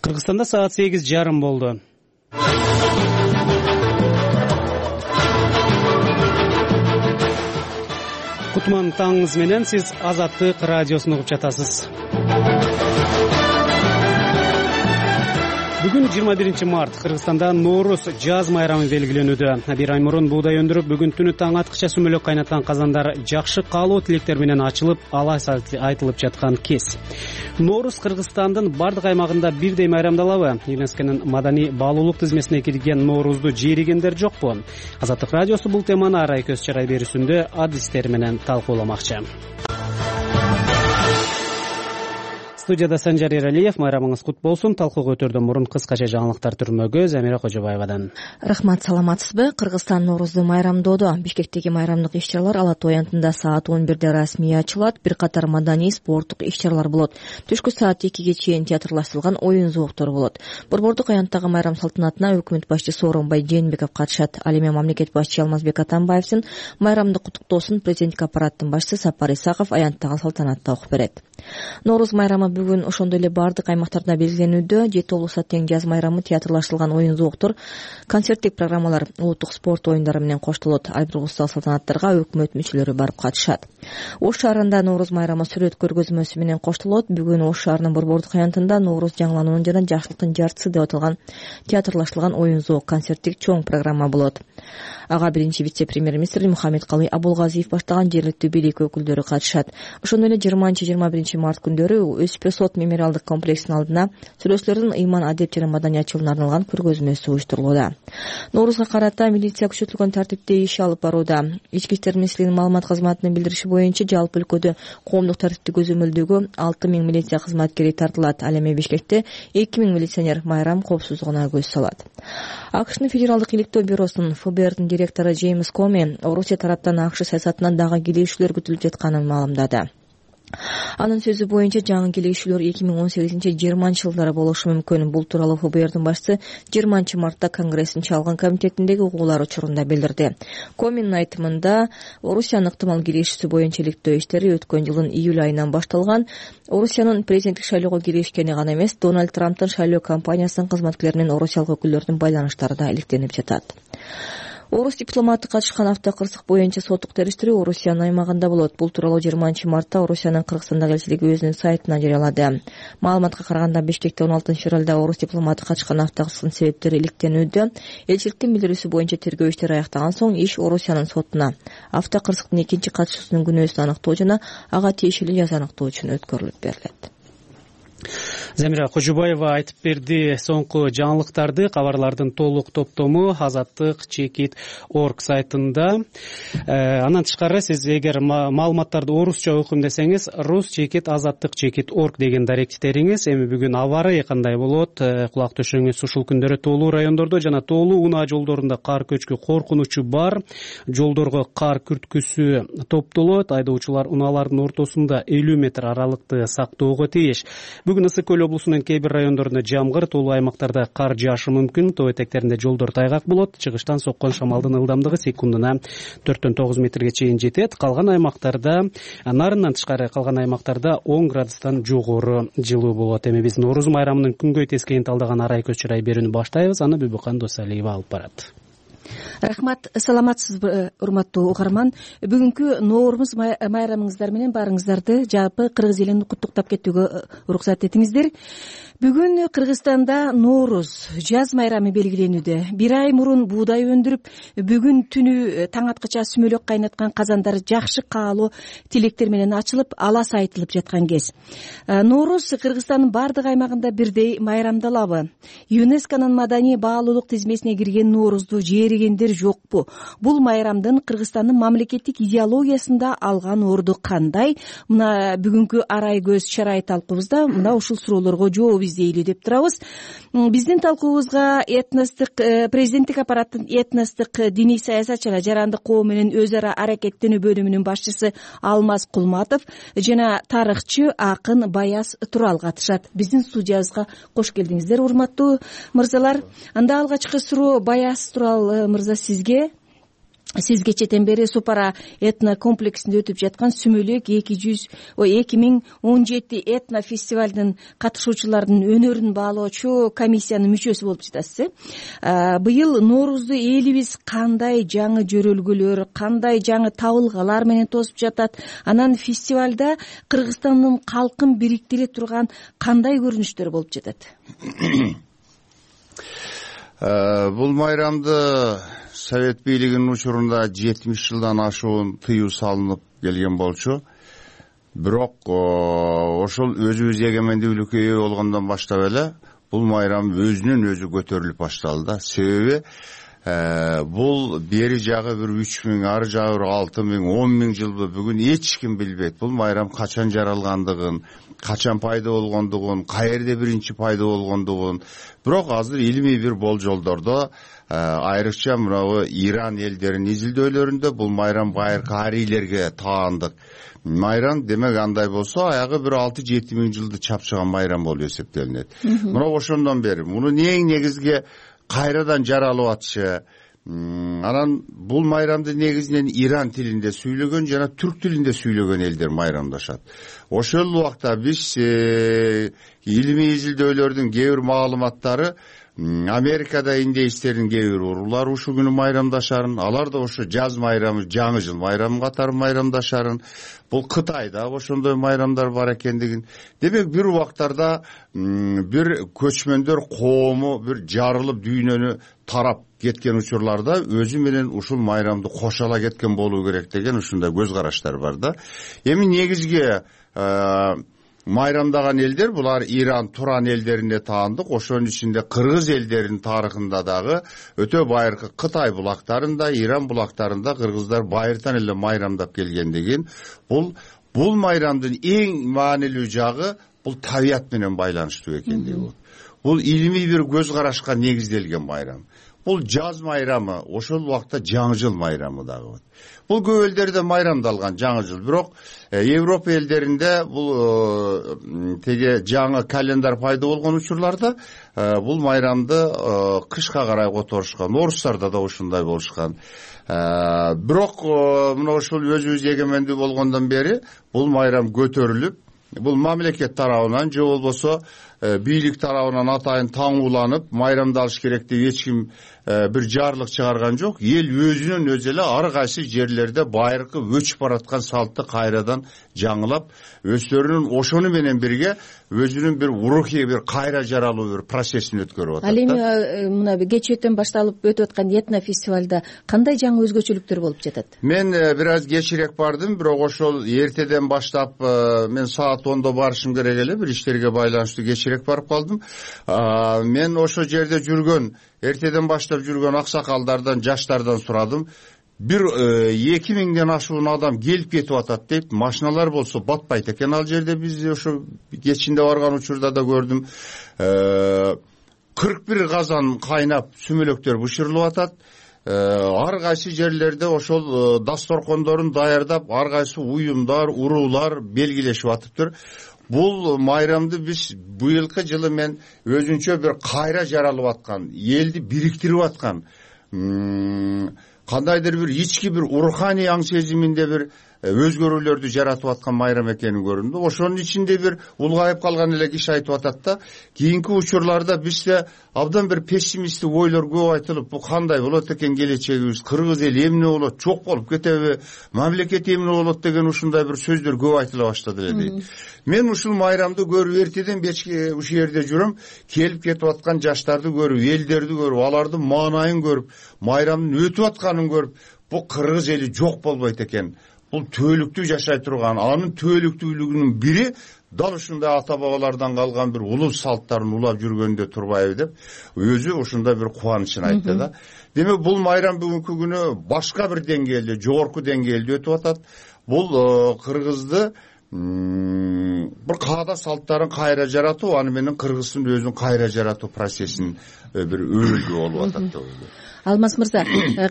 Кыргызстанда саат сегиз жарым болду. Кутман таңыңыз менен, сиз Азаттык радиосун угуп жатасыз. Бүгүн жыйырма биринчи март Кыргызстанда Ноорус жаз майрамы белгиленүүдө. Бир ай мурун буудай өндүрүп, бүгүн түнү таң аткыча сүмөлөк кайнаткан казандар жакшы каалоо тилектер менен ачылып, алас айтылып жаткан кез. Ноорус Кыргызстандын бардык аймагында бирдей майрамдалабы? ЮНЕСКОнун маданий баалуулук тизмесине кирген Ноорузду жээригендер жокпу? Азаттык радиосу бул теманы арай көз чарай берүүсүндө адистер менен талкууламакчы. Студияда Санжар Эралиев. Майрамыңыз кут болсун. Талкууга өтөрдөн мурун кыскача жаңылыктар түрмөгү Замира Кожобаевадан. Рахмат, саламатсызбы? Кыргызстан Ноорузду майрамдоодо. Бишкектеги майрамдык иш-чаралар Ала Тоо аянтында саат он бирде расмий ачылат. Бир катар маданий, спорттук иш-чаралар болот. Түшкү саат экиге чейин театрлаштырылган оюн зооктор болот. Борбордук аянттагы майрам салтанатына өкмөт башчысы Сооронбай Жээнбеков катышат. Ал эми мамлекет башчысы Алмазбек Атамбаевдин майрамдык куттуктоосун президенттик аппараттын башчысы Сапар Исаков аянттагы салтанатта окуп берет. Ноорус майрамы бүгүн ошондой эле бардык аймактарда белгиленүүдө. Жети облустта тең жаз майрамы театрлаштырылган оюн зооктор, концерттик программалар, улуттук спорт оюндары менен коштолот. Ар бир облустагы салтанаттарга өкмөт мүчөлөрү барып катышат. Ош шаарында Ноорус майрамы сүрөт көргөзмөсү менен коштолот. Бүгүн Ош шаарынын борбордук аянтында Ноорус жаңылануунун жана жакшылыктын жартысы деп аталган театрлаштырылган оюн зоок концерттик чоң программа болот. Ага биринчи вице-премьер-министр Мухаммедкалый Абулгазиев баштаган жергиликтүү бийлик өкүлдөрү катышат. Ошондой эле жыйырманчы жыйырма биринчи март күндөрү Өспө сот мемориалдык комплексинин алдына сүрөтчүлөрдүн ыйман, адеп жана маданиятчылыгына арналган көргөзмөсү уюштурулууда. Ноорузга карата милиция күчөтүлгөн тартипте иш алып барууда. Ички иштер министрлигинин маалымат кызматынын билдириши боюнча жалпы өлкөдө коомдук тартипти көзөмөлдөгө алты миң милиция кызматкери тартылат. Ал эми Бишкекте эки миң милиционер майрам коопсуздугуна көз салат. АКШнын федералдык иликтөө бюросунун эф бэ эрдин директору Джеймс Коми Орусия тараптан АКШ саясатынан дагы келишүүлөр күтүлүп жатканын маалымдады. Анын сөзү боюнча жаңы келишүүлөр эки миң он сегизинчи жыйырманчы жылдары болушу мүмкүн. Бул тууралуу эф бэ эрдин башчысы жыйырманчы мартта Конгресстин чалгын комитетиндеги угуулар учурунда билдирди. Коминин айтымында Орусиянын ыктымал келишүүсү боюнча иликтөө иштери өткөн жылдын июль айынан башталган. Орусиянын президенттик шайлоого киришкени гана эмес, Дональд Трамптын шайлоо кампаниясынын кызматкерлери менен орусиялык өкүлдөрдүн байланыштары да иликтенип жатат. Орус дипломаты катышкан автокырсык боюнча соттук териштирүү Орусиянын аймагында болот. Бул тууралуу жыйырманчы мартта Орусиянын Кыргызстандагы элчилиги өзүнүн сайтына жарыялады. Маалыматка караганда Бишкекте он алтынчы февралда Орус дипломаты катышкан автокырсыктын себептери иликтенүүдө. Элчиликтин билдирүүсү боюнча тергөө иштери аяктаган соң иш Орусиянын сотуна автокырсыктын экинчи катышуусунун күнөөсүн аныктоо жана ага тиешелүү жаза аныктоо үчүн өткөрүлүп берилет. Замира Кожобаева айтып берди. Соңку жаңылыктарды, кабарлардын толук топтому Азаттык чекит точка орг сайтында. Андан тышкары сиз эгер маалыматтарды орусча окуйм десеңиз, рус чекит азаттык чекит точка орг деген даректериңиз. Эми бүгүн аба ырайы кандай болот? Кулак төшөңүз. Ушул күндөрү тоолуу райондордо жана тоолуу унаа жолдорунда кар көчкү коркунучу бар. Жолдорго кар күрткүсү топтолот. Айдоочулар унаалардын ортосунда элүү метр аралыкты сактоого тийиш. Бүгүн Ысык көл Өскөмөл облусунун кээ бир райондорунда жамгыр, тоолуу аймактарда кар жаашы мүмкүн. Тоо этектеринде жолдор тайгак болот. Чыгыштан соккон шамалдын ылдамдыгы секундуна төрттөн тогуз метрге чейин жетет. Калган аймактарда, нарындан тышкары калган аймактарда он градустан жогору жылуу болот. Эми биз Нооруз майрамынын күнгөй тескейин талдаган арай көз чырай берүүнү баштайбыз. Аны Бүбүкан Досалиева алып барат. Рахмат, саламатсызбы урматтуу угарман. Бүгүнкү Нооруз майрамыңыздар менен баарыңыздарды жалпы кыргыз элин куттуктап кетүүгө уруксат этиңиздер. Бүгүн Кыргызстанда Нооруз жаз майрамы белгиленүүдө. Бир ай мурун буудай өндүрүп, бүгүн түнү таң аткача сүмөлөк кайнаткан казандар жакшы каалоо тилектер менен ачылып, алас айтылып жаткан кез. Нооруз Кыргызстандын бардык аймагында бирдей майрамдалабы? ЮНЕСКОнун маданий баалуулук тизмесине киргенНоорузду жээригендер жокпу? Бул майрамдын Кыргызстандын мамлекеттик идеологиясында алган орду кандай? Мына бүгүнкү арай көз чарай талкуубузда мына ушул суроолорго жооп издейлү деп турабыз. Биздин талкуубузга этностук президенттик аппараттын этностук диний саясатчылар жарандык коом менен өз ара аракеттенүү бөлүмүнүн башчысы Алмаз Кулматов жана тарыхчы акын Баяз Турал катышат. Биздин студиябызга кош келдиңиздер, урматтуу мырзалар. Анда алгачкы суроо Баяз Турал мырза сизге. Сиз кечеден бери Супара этно комплексинде өтүп жаткан Сүмөлөк эки жүз эки миң он жети этно фестивалдын катышуучуларынын өнөрүн баалоочу комиссиянын мүчөсү болуп жатасыз. Быйыл Ноорузду элибиз кандай жаңы жөрөлгөлөр, кандай жаңы табылгалар менен тосуп жатат? Анан фестивалда Кыргызстандын калкын бириктире турган кандай көрүнүштөр болуп жатат? Бул майрамды Совет бийлигинин учурунда жетимиш жылдан ашуун тыюу салынып келген болчу. Бирок ошол өзүбүз эгемендүүлүккө ээ болгондон баштап эле бул майрам өзүнөн өзү көтөрүлүп башталды да. Себеби бул бери жагы бир үч миң, ары жагы бир алты миң, он миң жылбы бүгүн эч ким билбейт. Бул майрам качан жаралгандыгын, качан пайда болгондугун, каерде биринчи пайда болгондугун. Бирок азыр илимий бир болжолдордо, айрыкча мынабу Иран элдеринин изилдөөлөрүндө бул майрам байыркы арийлерге таандык майрам. Демек андай болсо аягы бир алты жети миң жылды чапчыган майрам болуп эсептелинет. Мына ошондон бери муну эң негизги кайрадан жаралып атышы. Анан бул майрамды негизинен Иран тилинде сүйлөгөн жана түрк тилинде сүйлөгөн элдер майрамдашат. Ошол убакта биз илимий изилдөөлөрдүн кээ бир маалыматтары Америкада индейстердин кээ бир уруулар ушул күнү майрамдашарын, алар да ошо жаз майрамы, жаңы жыл майрамы катары майрамдашарын. Бул Кытайда ошондой майрамдар бар экендигин. Демек бир убактарда бир көчмөндөр коому бир жарылып дүйнөнү тарап кеткен учурларда өзү менен ушул майрамды кошала кеткен болуу керек деген ушундай көз караштар бар да. Эми негизги майрамдаган элдер булар Иран, Туран элдерине таандык. Ошонун ичинде кыргыз элдеринин тарыхында дагы өтө байыркы Кытай булактарында, Иран булактарында кыргыздар байыртан эле майрамдап келгендигин, бул бул майрамдын эң маанилүү жагы бул табият менен байланыштуу экендиги болот. Бул илимий бир көз карашка негизделген майрам. Бул жаз майрамы, ошол убакта жаңы жыл майрамы дагы болот. Бул көп элдерде майрамдалган жаңы жыл. Бирок Европа элдеринде бул теге жаңы календар пайда болгон учурларда бул майрамды кышка карай которушкан. Орустарда да ушундай болушкан. Бирок мына ушул өзүбүз эгемендүү болгондон бери бул майрам көтөрүлүп, бул мамлекет тарабынан же болбосо бийлик тарабынан атайын таңууланып майрамдалыш керек деп эч ким бир жарлык чыгарган жок. Эл өзүнөн өзү эле ар кайсы жерлерде байыркы өчүп бараткан салтты кайрадан жаңылап, өздөрүнүн ошону менен бирге өзүнүн бир урухий бир кайра жаралуу бир процессин өткөрүп атат. Ал эми мына кечээктен башталып өтүп аткан этно фестивалда кандай жаңы өзгөчөлүктөр болуп жатат? Мен бир аз кечирээк бардым, бирок ошол эртеден баштап мен саат ондо барышым керек эле, бир иштерге байланыштуу кечирээк барып калдым. Мен ошол жерде жүргөн, эртеден баштап жүргөн аксакалдардан, жаштардан сурадым. Бир эки миңден ашуун адам келип кетип атат дейт. Машиналар болсо батпайт экен ал жерде. Биз ошо кечинде барган учурда да көрдүм. кырк бир казан кайнап сүмөлөктөр бышырылып атат. Ар кайсы жерлерде ошол дасторкондорун даярдап, ар кайсы уюмдар, уруулар белгилешип атыптыр. бул майрамды биз быйылкы жылы мен өзүнчө бир кайра жаралып аткан, элди бириктирип аткан, кандайдыр бир ички бир руханий аң сезиминде бир өзгөрүүлөрдү жаратып аткан майрам экенин көрдүм. Ошонун ичинде бир улгайып калган эле киши айтып атат да, кийинки учурларда бизде абдан бир пессимисттик ойлор көп айтылып, бул кандай болот экен келечегибиз, кыргыз эли эмне болот, жок болуп кетеби, мамлекет эмне болот деген ушундай бир сөздөр көп айтыла баштады эле дейт. Мен ушул майрамды көрүп эртеден бечке ушул жерде жүрөм, келип кетип аткан жаштарды көрүп, элдерди көрүп, алардын маанайын көрүп, майрамдын өтүп атканын көрүп, бул кыргыз эли жок болбойт экен. Бул түбөлүктүү жашай турган, анын түбөлүктүүлүгүнүн бири дал ушундай ата бабалардан калган бир улус салттарын улап жүргөндө турбайбы деп өзү ушундай бир кубанычын айтты да. Демек бул майрам бүгүнкү күнү башка бир деңгээлде, жогорку деңгээлде өтүп атат. Бул кыргызды бир каада салттарын кайра жаратуу, аны менен кыргыздын өзүнүн кайра жаратуу процессин бир өрүлгү болуп атат деп ойлойм. Алмаз мырза,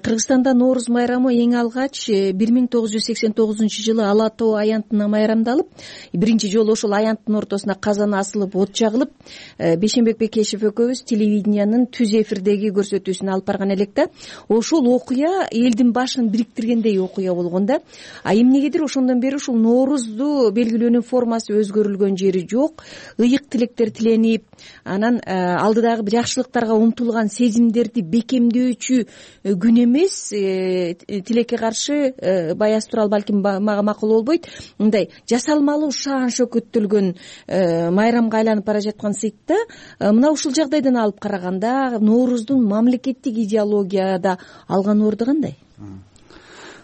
Кыргызстанда Нооруз майрамы эң алгач бир миң тогуз жүз сексен тогузунчу жылы Ала тоо аянтына майрамдалып, биринчи жолу ошол аянттын ортосуна казан асылып, от жагылып, Бейшенбек Бекешев экөөбүз телевидениянын түз эфирдеги көрсөтүүсүн алып барган элек да. Ошол окуя элдин башын бириктиргендей окуя болгон да. А эмнегедир ошондон бери ушул Ноорузду белгилөөнүн формасы өзгөрүлгөн жери жок. Ыйык тилектер тиленип, анан алдыдагы жакшылыктарга умтулган сезимдерди бекемдөө күн эмес, тилекке каршы Баяз Турал балким мага макул болбойт. Мындай жасалмалуу шаан шөкөттөлгөн майрамга айланып бара жаткан сыйтта, мына ушул жагдайдан алып караганда Нооруздун мамлекеттик идеологияда алган орду кандай?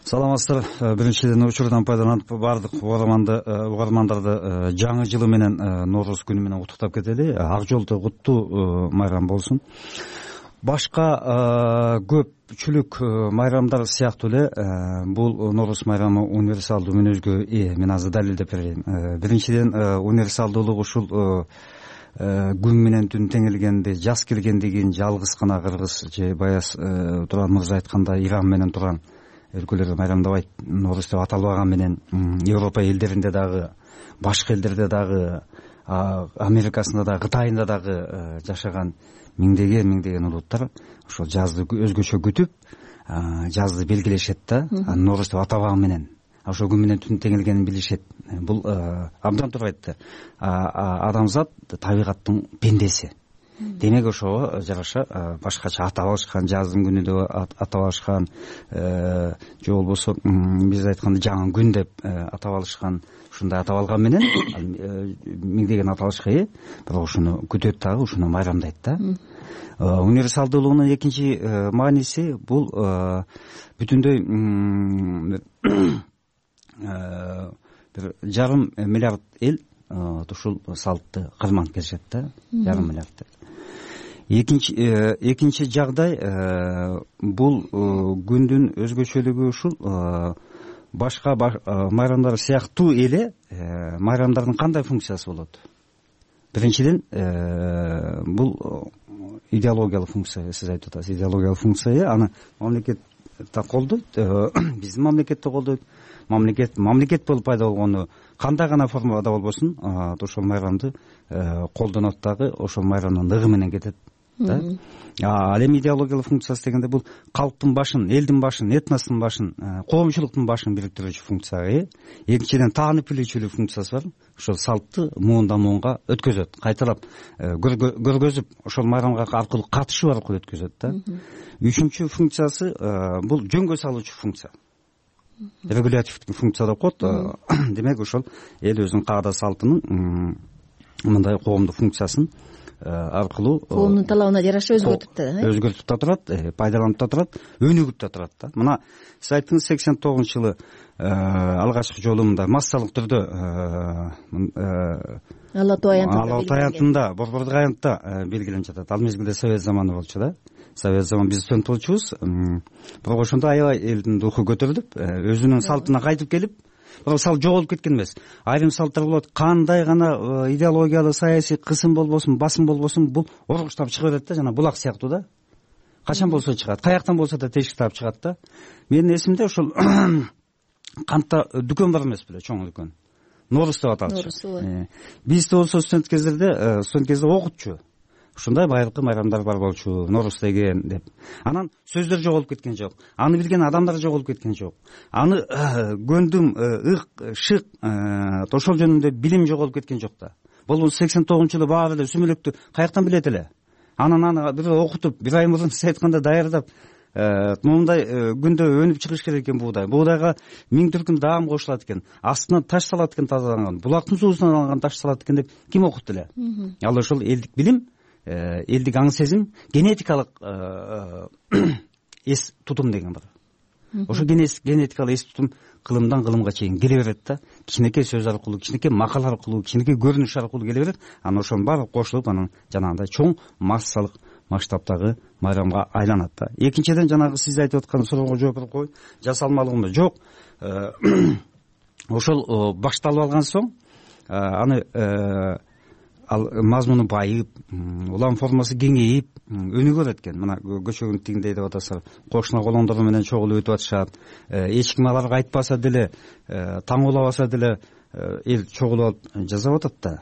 Саламатсыздар. Биринчиден учурдан пайдаланып баардык угармандарды жаңы жылы менен Нооруз күнү менен куттуктап кетели. Ак жолдо куттуу майрам болсун. Башка көпчүлүк майрамдар сыяктуу эле бул Нооруз майрамы универсалдуу мүнөзгө ээ. Мен азыр далилдеп берейин. Биринчиден универсалдуулук ушул күн менен түн теңелгенди, жаз келгендигин жалгыз гана кыргыз же Баяз Турал мырза айткандай Иран менен турган өлкөлөр майрамдабайт. Нооруз деп аталбаган менен Европа элдеринде дагы, башка элдерде дагы, Америкасында дагы, Кытайында дагы жашаган миңдеген миңдеген улуттар ошол жазды өзгөчө күтүп, жазды белгилешет да. Нооруз деп атабаган менен ошол күн менен түн теңелгенин билишет. Бул абдан туура айтты. Адамзат табигаттын пендеси. Демек ошого жараша башкача атап алышкан, жаздын күнү деп атап алышкан, же болбосо биз айтканда жаңы күн деп атап алышкан, ушундай атап алган менен миңдеген аталышка ээ, бирок ушуну күтөт дагы, ушуну майрамдайт да. Универсалдуулугунун экинчи мааниси бул бүтүндөй бир жарым миллиард эл ушул салтты кырманып келишет да, жарым миллиард. Экинчи экинчи жагдай бул күндүн өзгөчөлүгү ушул башка майрамдар сыяктуу эле майрамдардын кандай функциясы болот? Биринчиден бул идеологиялык функция, сиз айтып атасыз, идеологиялык функция, аны мамлекет да колдойт, биздин мамлекет да колдойт. Мамлекет мамлекет болуп пайда болгону кандай гана формада болбосун, ошол майрамды колдонот дагы, ошол майрамдын ыгы менен кетет да. Ал эми идеологиялык функциясы дегенде бул калктын башын, элдин башын, этностун башын, коомчулуктун башын бириктирүүчү функция. Экинчиден таанып билүүчүлүк функциясы бар. Ошол салтты муундан муунга өткөзөт, кайталап көргөзүп, ошол майрамга аркылуу катышуу аркылуу өткөзөт да. Үчүнчү функциясы бул жөнгө салуучу функция. Регулятивдик функция деп коет. Демек ошол эл өзүнүн каада салтынын мындай коомдук функциясын аркылуу коомдун талабына жараша өзгөртүп да, өзгөртүп да турат, пайдаланып да турат, өнүгүп да турат да. Мына сиз айттыңыз, сексен тогузунчу жылы алгачкы жолу мындай массалык түрдө Ала тоо аянтында, Борбордук аянтта белгиленип жатат. Ал мезгилде совет заманы болчу да. Совет заманы биз студент болчубуз. Бирок ошондо аябай элдин руху көтөрүлүп, өзүнүн салтына кайтып келип, бирок салт жоголуп кеткен эмес. Айрым салттар болот, кандай гана идеологиялык, саясий кысым болбосун, басым болбосун, бул оргуштап чыга берет да, жана булак сыяктуу да. Качан болсо чыгат, каяктан болсо да тешик таап чыгат да. Менин эсимде ошол кантта дүкөн бар эмес беле, чоң дүкөн. нооруз деп аталчу. Бизде болсо студент кездерде студент кезде окутчу ушундай байыркы майрамдар бар болчу, нооруз деген деп. Анан сөздөр жоголуп кеткен жок, аны билген адамдар жоголуп кеткен жок, аны көндүм, ык, шык, ошол жөнүндө билим жоголуп кеткен жок да. Бул сексен тогузунчу жылы баары эле сүмөлөктү каяктан билет эле? Анан аны бир окутуп, бир ай мурун сиз айткандай даярдап, моундай күндө өнүп чыгыш керек экен буудай. Буудайга миң түркүм даам кошулат экен, астынан таш салат экен, тазаланган, булактын суусунан алынган таш салат экен деп ким окутту эле? Ал ошол элдик билим, элдик аң сезим, генетикалык эс тутум деген бар. Ошо генетикалык эс тутум кылымдан кылымга чейин келе берет да. Кичинекей сөз аркылуу, кичинекей макал аркылуу, кичинекей көрүнүш аркылуу келе берет. Анан ошонун баары кошулуп, анан жанагындай чоң массалык масштабтагы майрамга айланат да. Экинчиден, жанагы сиз айтып аткан суроого жооп берип коеюн. Жасалмалыгында жок. Ошол башталып алган соң, аны ал мазмуну байып, улам формасы кеңейип, өнүгөр экен. Мына көчөгүн тигиндей деп атасыздар, кошуна колондору менен чогулуп өтүп атышат. Эч ким аларга айтпаса деле, таң улабаса деле, эл чогулуп алып жасап атат да.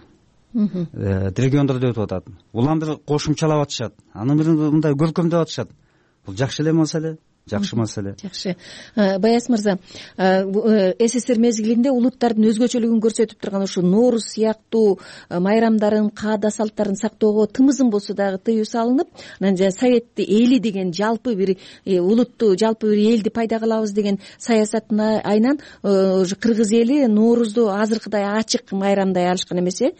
Региондордо өтүп атат. Улам бир кошумчалап атышат. Аны бир мындай көркөмдөп атышат. Бул жакшы эле маселе. Жакшы маселе. Жакшы. Баяз мырза, СССР мезгилинде улуттардын өзгөчөлүгүн көрсөтүп турган ушу нооруз сыяктуу майрамдарын, каада салттарын сактоого тымызын болсо дагы тыюу салынып, анан жана совет эли деген жалпы бир улутту, жалпы бир элди пайда кылабыз деген саясатына айнан кыргыз эли ноорузду азыркыдай ачык майрамдай алышкан эмес э.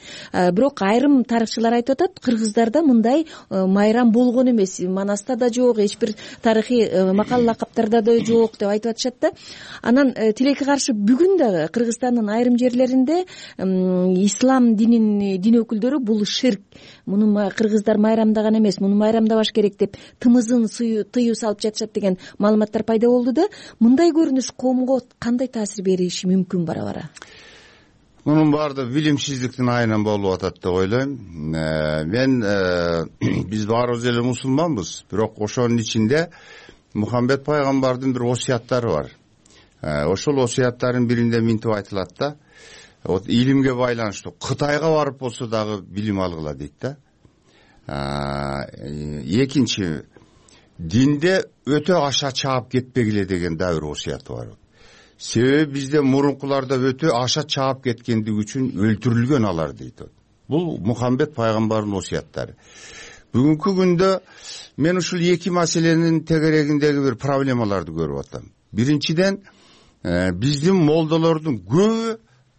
Бирок айрым тарыхчылар айтып атат, кыргыздарда мындай майрам болгон эмес, Манаста да жок, эч бир тарыхый лакаптарда да жок деп айтып атышат да. Анан тилекке каршы бүгүн дагы Кыргызстандын айрым жерлеринде ислам динин дин өкүлдөрү бул ширк, муну кыргыздар майрамдаган эмес, муну майрамдабаш керек деп тымызын тыюу салып жатышат деген маалыматтар пайда болду да. Мындай көрүнүш коомго кандай таасир бериши мүмкүн бара-бара? Мунун баары билимсиздиктин айынан болуп атат деп ойлойм. Мен биз баарыбыз эле мусулманбыз, бирок ошонун ичинде Мухаммед пайгамбардын бир осуяттары бар. Ошол осуяттардын биринде минтип айтылат да, вот илимге байланыштуу Кытайга барып болсо дагы билим алгыла дейт да. Экинчи, динде өтө аша чаап кетпегиле деген да бир осуяты бар. Себеби бизде мурункуларда өтө аша чаап кеткендиги үчүн өлтүрүлгөн алар дейт. Бул Мухаммед пайгамбардын осуяттары. Бүгүнкү күндө мен ушул эки маселенин тегерегиндеги бир проблемаларды көрүп атам. Биринчиден, биздин молдолордун көбү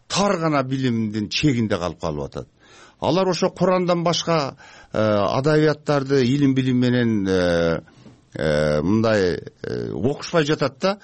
тар гана билимдин чегинде калып калып атат. Алар ошо Курандан башка адабияттарды илим билим менен мындай окушпай жатат да.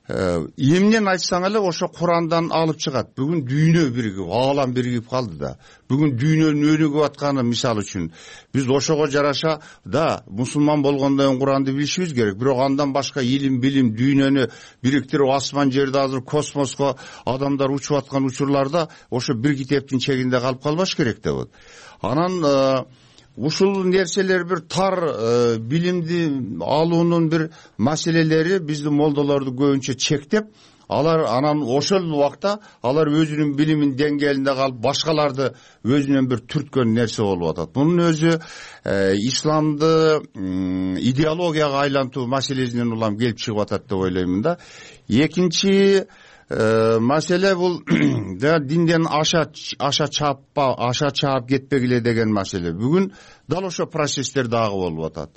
Эмнен айтсаң эле ошо Курандан алып чыгат. Бүгүн дүйнө биригип, аалам биригип калды да. Бүгүн дүйнөнүн өнүгүп атканы мисал үчүн биз ошого жараша да мусулман болгондон Куранды билишибиз керек. Бирок андан башка илим билим дүйнөнү бириктирип, асман жерде азыр космоско адамдар учуп аткан учурларда ошо бир китептин чегинде калып калбаш керек деп атат. Анан ушул нерселер бир тар билимди алуунун бир маселелери биздин молдолорду көбүнчө чектеп, алар анан ошол убакта алар өзүнүн билимин деңгээлинде калып, башкаларды өзүнөн бир түрткөн нерсе болуп атат. Мунун өзү исламды идеологияга айлантуу маселесинен улам келип чыгып атат деп ойлоймун да. Экинчи маселе бул динден аша аша чааппа, аша чаап кетпегиле деген маселе. Бүгүн дал ошо процесстер дагы болуп атат.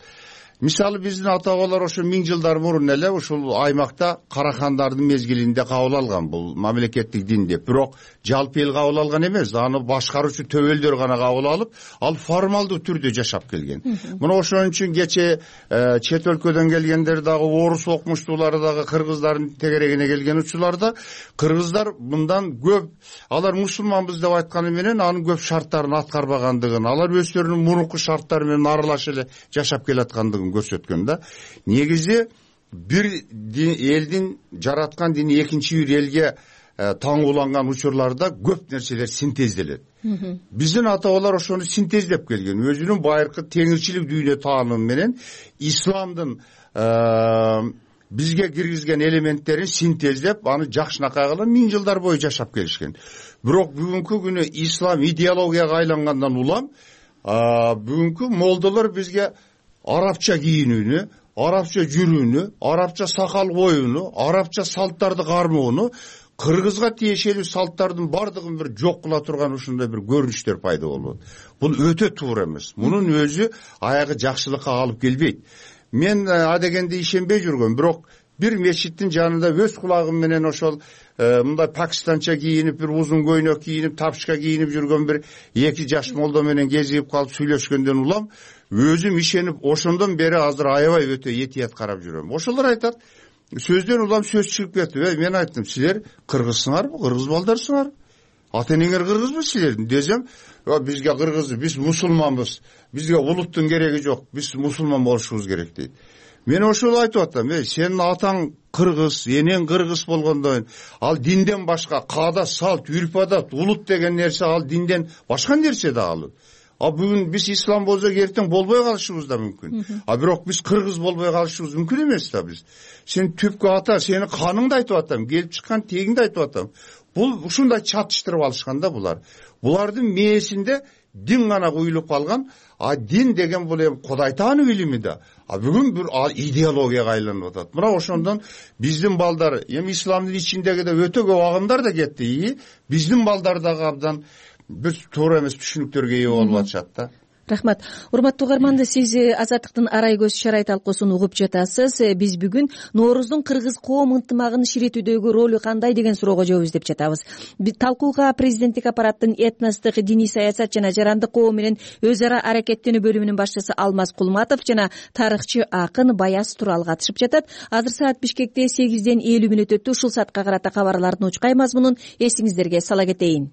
Мисалы биздин ата бабалар ошо миң жылдар мурун эле ушул аймакта карахандардын мезгилинде кабыл алган бул мамлекеттик дин деп. Бирок жалпы эл кабыл алган эмес, аны башкаруучу төбөлдөр гана кабыл алып, ал формалдуу түрдө жашап келген. Мына ошон үчүн кече чет өлкөдөн келгендер дагы, орус окумуштуулары дагы кыргыздардын тегерегине келген учурларда кыргыздар мындан көп, алар мусулманбыз деп айтканы менен анын көп шарттарын аткарбагандыгын, алар өздөрүнүн мурунку шарттары менен аралаш эле жашап келаткандыгын көрсөткөн да. Негизи бир элдин жараткан дини экинчи бир элге таңууланган учурларда көп нерселер синтезделет. Биздин ата бабалар ошону синтездеп келген. Өзүнүн байыркы теңирчилик дүйнө таанымы менен исламдын бизге киргизген элементтерин синтездеп аны жакшынакай кылып миң жылдар бою жашап келишкен. Бирок бүгүнкү күнү ислам идеологияга айлангандан улам бүгүнкү молдолор бизге арабча кийинүүнү, арабча жүрүүнү, арабча сакал коюуну, арабча салттарды кармоону, кыргызга тиешелүү салттардын бардыгын бир жок кыла турган ушундай бир көрүнүштөр пайда болот. Бул өтө туура эмес. Мунун өзү аягы жакшылыкка алып келбейт. Мен адегенде ишенбей жүргөм, бирок бир мечиттин жанында өз кулагым менен ошол мындай пакистанча кийинип, бир узун көйнөк кийинип, тапчка кийинип жүргөн бир эки жаш молдо менен кезигип калып сүйлөшкөндөн улам өзүм ишенип, ошондон бери азыр аябай өтө этият карап жүрөм. Ошолор айтат, сөздөн улам сөз чыгып кетти. Мен айттым, силер кыргызсыңарбы, кыргыз балдарсыңарбы? Ата энеңер кыргызбы силердин десем, бизге кыргыз, биз мусулманбыз, бизге улуттун кереги жок, биз мусулман болушубуз керек дейт. Мен ошол айтып атам, сенин атаң кыргыз, энең кыргыз болгондон ал динден башка каада, салт, үрп адат, улут деген нерсе ал динден башка нерсе да ал. А бүгүн биз ислам болсок эртең болбой калышыбыз да мүмкүн. А бирок биз кыргыз болбой калышыбыз мүмкүн эмес да биз. Сен түпкү ата, сени каныңды айтып атам, келип чыккан тегиңди айтып атам. Бул ушундай чатыштырып алышкан да булар. Булардын мээсинде дин гана куюлуп калган, а дин деген бул эми Кудай таануу илими да. А бүгүн бир идеологияга айланып атат. Мына ошондон биздин балдар, эми исламдын ичиндеги да өтө көп агымдар да кетти. Биздин балдар дагы абдан бир туура эмес түшүнүктөргө ээ болуп атышат да. Рахмат. Урматтуу угармандар, сиз Азаттыктын арай көз шарай талкуусун угуп жатасыз. Биз бүгүн Норуздун кыргыз коом ынтымагын ширитүүдөгү ролу кандай деген суроого жооп издеп жатабыз. Талкууга президенттик аппараттын этностук, диний саясат жана жарандык коом менен өз ара аракеттенүү бөлүмүнүн башчысы Алмаз Кулматов жана тарыхчы акын Баяз Турал катышып жатат. Азыр саат Бишкекте сегизден элүү мүнөт өттү. Ушул саатка карата кабарлардын учкай мазмунун эсиңиздерге сала кетейин.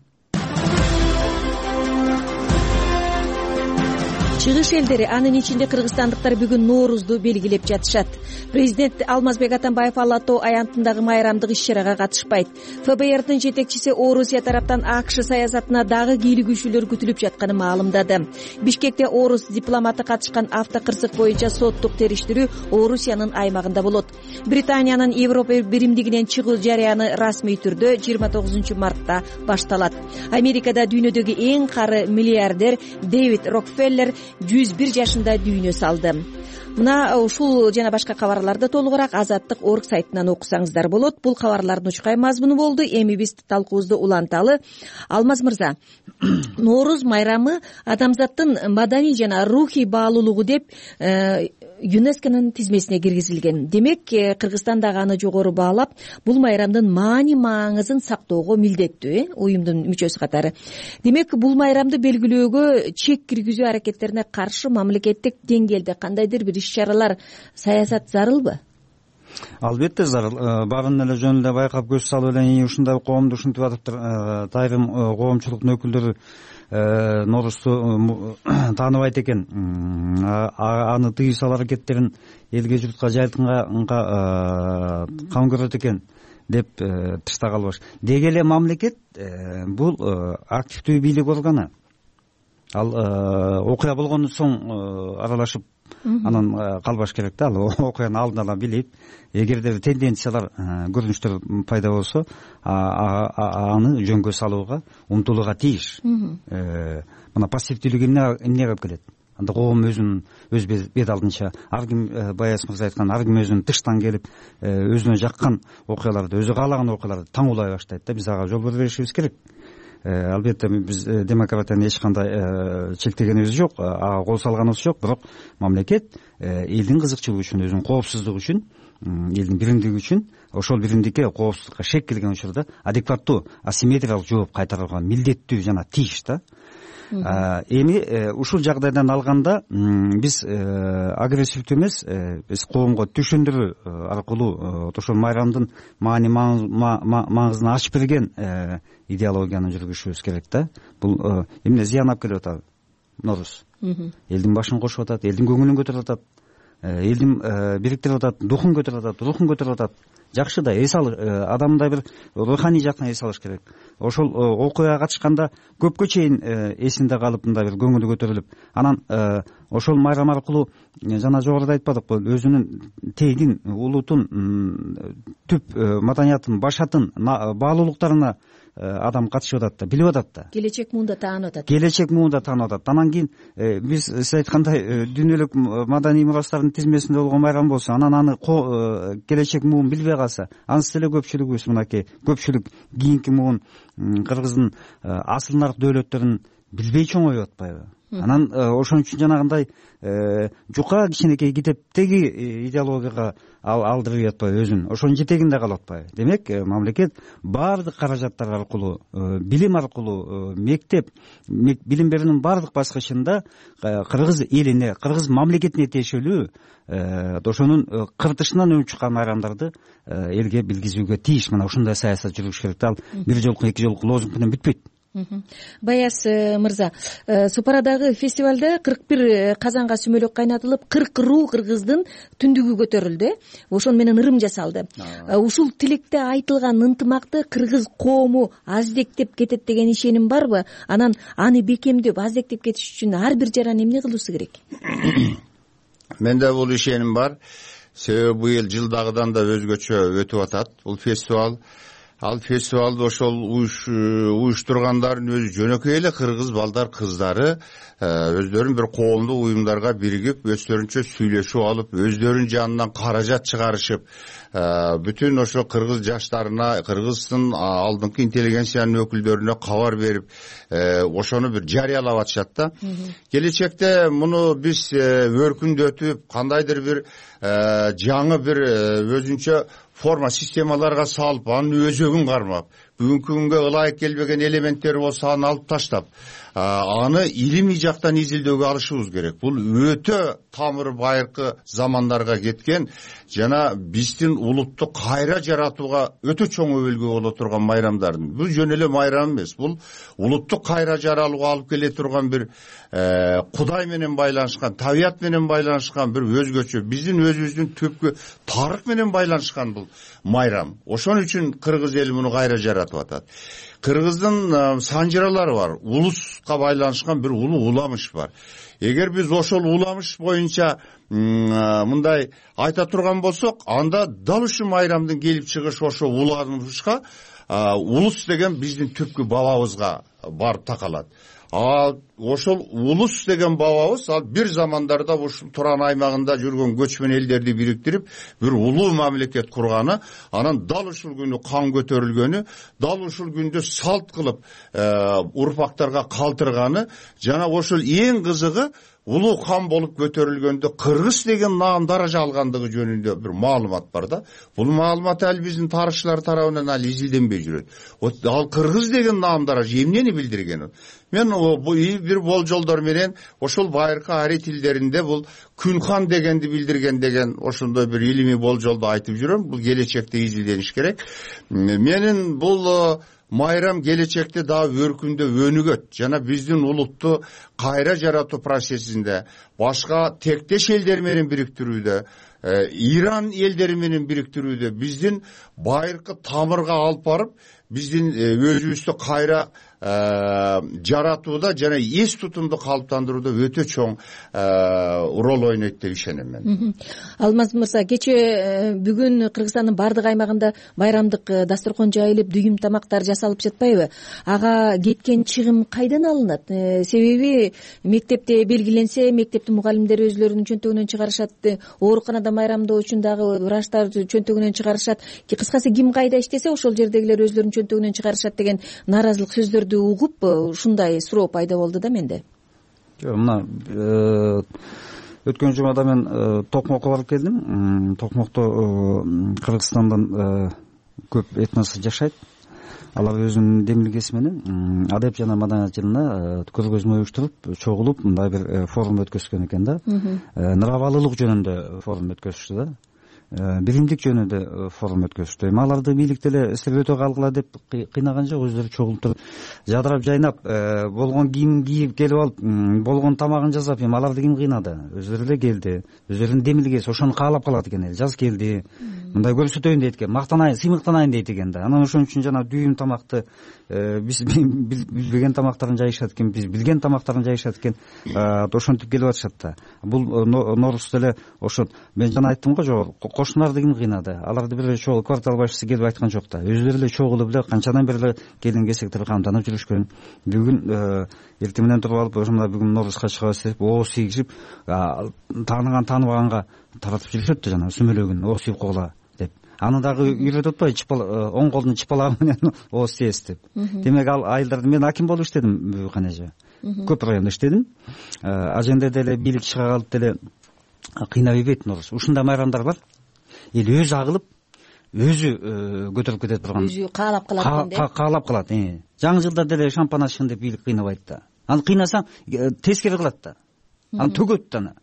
Чыгыш элдери, анын ичинде кыргызстандыктар бүгүн Ноорузду белгилеп жатышат. Президент Алмазбек Атамбаев Ала Тоо аянтындагы майрамдык иш-чарага катышпайт. ФБРдин жетекчиси Орусия тараптан АКШ саясатына дагы кийлигүүчүлөр күтүлүп жатканын маалымдады. Бишкекте Орус дипломаты катышкан автокырсык боюнча соттук териштирүү Орусиянын аймагында болот. Британиянын Европа биримдигинен чыгуу жарыяны расмий түрдө жыйырма тогузунчу мартта башталат. Америкада дүйнөдөгү эң кары миллиардер Дэвид Рокфеллер жүз бир жашында дүйнө салды. Мына ушул жана башка кабарларды толугураак Азаттык орг сайтынан окусаңыздар болот. Бул кабарлардын учкай мазмуну болду. Эми биз талкуубузду уланталы. Алмаз мырза, Норуз майрамы адамзаттын маданий жана рухий баалуулугу деп ЮНЕСКОнун тизмесине киргизилген. Демек, Кыргызстан дагы аны жогору баалап, бул майрамдын маани маңызын сактоого милдеттүү, уюмдун мүчөсү катары. Демек, бул майрамды белгилөөгө чек киргизүү аракеттерине каршы мамлекеттик деңгээлде кандайдыр бир иш-чаралар, саясат зарылбы? Албетте зарыл. Баарын эле жөн эле байкап көз салып эле ушундай коомду ушинтип атыптыр. Тайрым коомчулуктун өкүлдөрү Норузду тааныбайт экен. Аны тыюу аракеттерин элге журтка жайылтканга кам көрөт экен деп тышта калбаш. Деги эле мамлекет бул активдүү бийлик органы. Ал окуя болгондон соң аралашып анан калбаш керек да. Ал окуяны алдын ала билип, эгерде тенденциялар, көрүнүштөр пайда болсо, аны жөнгө салууга умтулууга тийиш. Мына пассивдүүлүк эмнеге алып келет? Анда коом өзүнүн өз бет алдынча, ар ким Баяз мырза айткан, ар ким өзүнүн тыштан келип, өзүнө жаккан окуяларды, өзү каалаган окуяларды таңуулай баштайт да. Биз ага жол бербешибиз керек. Албетте биз демократияны эч кандай чектегенибиз жок, ага кол салганыбыз жок, бирок мамлекет элдин кызыкчылыгы үчүн, өзүнүн коопсуздугу үчүн, элдин биримдиги үчүн, ошол биримдикке, коопсуздукка шек келген учурда адекваттуу асимметриялык жооп кайтарууга милдеттүү жана тийиш да. Эми ушул жагдайдан алганда биз агрессивдүү эмес, биз коомго түшүндүрүү аркылуу ошол майрамдын маани маңызын ачып берген идеологияны жүргүзүшүбүз керек да. Бул эмне зыян алып келип атат Норуз? Элдин башын кошуп атат, элдин көңүлүн көтөрүп атат. элдин бириктирип атат, духун көтөрүп атат, рухун көтөрүп атат. Жакшы да эс ал адамда бир руханий жактан эс алыш керек. Ошол окуяга катышканда көпкө чейин эсинде калып, мындай бир көңүлү көтөрүлүп, анан ошол майрам аркылуу жана жогоруда айтпадыкпы, өзүнүн тегин, улутун, түп маданиятын, башатын, баалуулуктарына адам катышып атат да, билип атат да. Келечек муунда таанып атат. Келечек муунда таанып атат. Анан кийин биз сиз айткандай дүйнөлүк маданий мурастардын тизмесинде болгон майрам болсо, анан аны келечек муун билбей калса, анысы деле көпчүлүгүбүз мынакей көпчүлүк кийинки муун Кыргыздын асыл нарк дөөлөттөрүн билбей чоңоюп атпайбы? Анан ошон үчүн жанагындай жука кичинекей китептеги идеологияга алдырып атпайбы өзүн, ошонун жетегинде калып атпайбы? Демек, мамлекет баардык каражаттар аркылуу, билим аркылуу, мектеп, билим берүүнүн баардык баскычында кыргыз элине, кыргыз мамлекетине тиешелүү ошонун кыртышынан өнүгүп чыккан майрамдарды элге билгизүүгө тийиш. Мына ушундай саясат жүргүзүш керек. Ал бир жолку, эки жолку лозунг менен бүтпөйт. Баяз мырза, Супарадагы фестивалда кырк бир казанга сүмөлөк кайнатылып, кырк руу кыргыздын түндүгү көтөрүлдү. Ошон менен ырым жасалды. Ушул тилекте айтылган ынтымакты кыргыз коому аздектеп кетет деген ишеним барбы? Анан аны бекемдеп, аздектеп кетиш үчүн ар бир жаран эмне кылуусу керек? Менде бул ишеним бар. Себеби быйыл жылдагыдан да өзгөчө өтүп атат бул фестиваль. Ал фестивалды ошол уюштургандардын өзү жөнөкөй эле кыргыз балдар, кыздары өздөрүн бир коомдук уюмдарга биригип, өздөрүнчө сүйлөшүп алып, өздөрүнүн жанынан каражат чыгарышып, бүтүн ошо кыргыз жаштарына, кыргыздын алдыңкы интеллигенциянын өкүлдөрүнө кабар берип, ошону бир жарыялап атышат да. Келечекте муну биз өркүндөтүп, кандайдыр бир жаңы бир өзүнчө форма системаларга салып, анын өзөгүн кармап, бүгүнкү күнгө ылайык келбеген элементтери болсо аны алып таштап, аны илимий жактан изилдөөгө алышыбыз керек. Бул өтө тамыры байыркы замандарга кеткен жана биздин улутту кайра жаратууга өтө чоң өбөлгө боло турган майрамдардын. Бул жөн эле майрам эмес, бул улутту кайра жаралууга алып келе турган бир Кудай менен байланышкан, табият менен байланышкан бир өзгөчө, биздин өзүбүздүн түпкү тарых менен байланышкан бул майрам. Ошон үчүн кыргыз эли муну кайра жаратып атат. Кыргыздын санжыралары бар, улуска байланышкан бир улуу уламыш бар. Эгер биз ошол уламыш боюнча мындай айта турган болсок, анда дал ушул майрамдын келип чыгышы ошо уламышка, улус деген биздин түпкү бабабызга барып такалат. А ошол улус деген бабабыз ал бир замандарда ушул Туран аймагында жүргөн көчмөн элдерди бириктирип, бир улуу мамлекет курганы, анан дал ушул күнү кан көтөрүлгөнү, дал ушул күндө салт кылып урпактарга калтырганы, жана ошол эң кызыгы улуу хан болуп көтөрүлгөндө кыргыз деген наам даража алгандыгы жөнүндө бир маалымат бар да. Бул маалымат ал биздин тарыхчылар тарабынан ал изилденбей жүрөт. Ал кыргыз деген наам даража эмнени билдирген? Мен бир болжолдор менен ошол байыркы ари тилдеринде бул Күнхан дегенди билдирген деген ошондой бир илимий болжолду айтып жүрөм. Бул келечекте изилдениш керек. Менин бул майрам келечекте дагы өркүндөп өнүгөт жана биздин улутту кайра жаратуу процессинде, башка тектеш элдер менен бириктирүүдө, Иран элдери менен бириктирүүдө, биздин байыркы тамырга алып барып, биздин өзүбүздү кайра жаратууда жана эс тутумду калыптандырууда өтө чоң роль ойнойт деп ишенем мен. Алмаз мырза, кече бүгүн Кыргызстандын бардык аймагында байрамдык дасторкон жайылып, дүйүм тамактар жасалып жатпайбы? Ага кеткен чыгым кайдан алынат? Себеби мектепте белгиленсе, мектептин мугалимдери өзлөрүнүн чөнтөгүнөн чыгарышат, ооруканада майрамдоо үчүн дагы врачтар чөнтөгүнөн чыгарышат. Кыскасы ким кайда иштесе, ошол жердегилер өзлөрүнүн чөнтөгүнөн чыгарышат деген нааразылык сөздөр угуп ушундай суроо пайда болду да менде. Мына өткөн жумада мен Токмокко барып келдим. Токмокто Кыргызстандын көп этносу жашайт. Алар өзүнүн демилгеси менен адеп жана маданият жылына көргөзмө уюштуруп, чогулуп мындай бир форум өткөзгөн экен да. Нырабалылык жөнүндө форум өткөзүштү да. биримдик жөнүндө форум өткөзүштү. Эми аларды бийлик деле силер өтө калгыла деп кыйнаган жок, өздөрү чогулуп туруп жадырап жайнап болгон кийим кийип келип алып, болгон тамагын жасап, эми аларды ким кыйнады? Өздөрү эле келди, өздөрүнүн демилгеси ошону каалап калат экен эл. Жаз келди, мындай көрсөтөйүн дейт экен, мактанайын, сыймыктанайын дейт экен да. Анан ошон үчүн жана дүйүм тамакты биз билбеген тамактарын жайышат экен, биз билген тамактарын жайышат экен, ошентип келип атышат да. Бул Нооруз деле ошо мен жана айттым го жогору, кошуналарды ким кыйнады? Аларды бир эле чогуу квартал башчысы келип айткан жок да. Өздөрү эле чогулуп эле канчадан бери эле келин кесектер камданып жүрүшкөн. Бүгүн эртең менен туруп алып, ошо мына бүгүн Ноорузга чыгабыз деп ооз тийгизип, тааныган тааныбаганга таратып жүрүшөт да, жана сүмөлөгүн ооз тийип койгула деп. Аны дагы үйрөтүп атпайбы, оң колдун чыпалагы менен ооз тийесиз деп. Демек ал айылдарда мен аким болуп иштедим Бүбүкан эже. Көп райондо иштедим. Аженде деле бийлик чыга калып деле кыйнап ийбейт Нооруз. Ушундай майрамдар бар. Эл өзү агылып, өзү көтөрүп кете турган. Өзү каалап калат экен. Каалап калат. Жаңы жылда деле шампан ачкын деп бийлик кыйнабайт да. Аны кыйнасаң тескери кылат да. Аны төгөт да аны.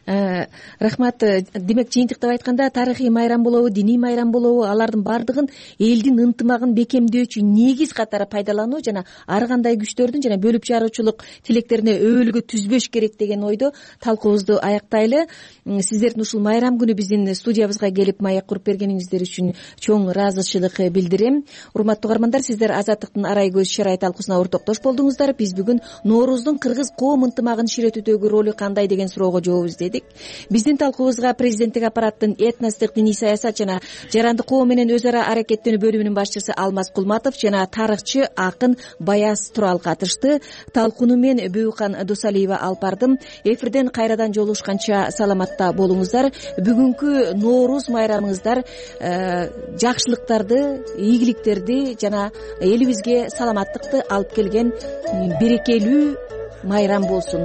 Рахмат. Демек жыйынтыктап айтканда тарыхый майрам болобу, диний майрам болобу, алардын баардыгын элдин ынтымагын бекемдөөчү негиз катары пайдалануу жана ар кандай күчтөрдүн жана бөлүп жаруучулук тилектерине өбөлгө түзбөш керек деген ойдо талкуубузду аяктайлы. Сиздердин ушул майрам күнү биздин студиябызга келип маек куруп бергениңиздер үчүн чоң ыраазычылык билдирем. Урматтуу угармандар, сиздер Азаттыктын арай көз шарай талкуусуна ортоктош болдуңуздар. Биз бүгүн Нооруздун кыргыз коом ынтымагын кичиретүүдөгү ролу кандай деген суроого жооп издедик. Биздин талкуубузга президенттик аппараттын этностук диний саясат жана жарандык коом менен өз ара аракеттенүү бөлүмүнүн башчысы Алмаз Кулматов жана тарыхчы акын Баяз Турал катышты. Талкууну мен Бүбүкан Дусалиева алып бардым. Эфирден кайрадан жолугушканча саламатта болуңуздар. Бүгүнкү Нооруз майрамыңыздар жакшылыктарды, ийгиликтерди жана элибизге саламаттыкты алып келген берекелүү майрам болсун.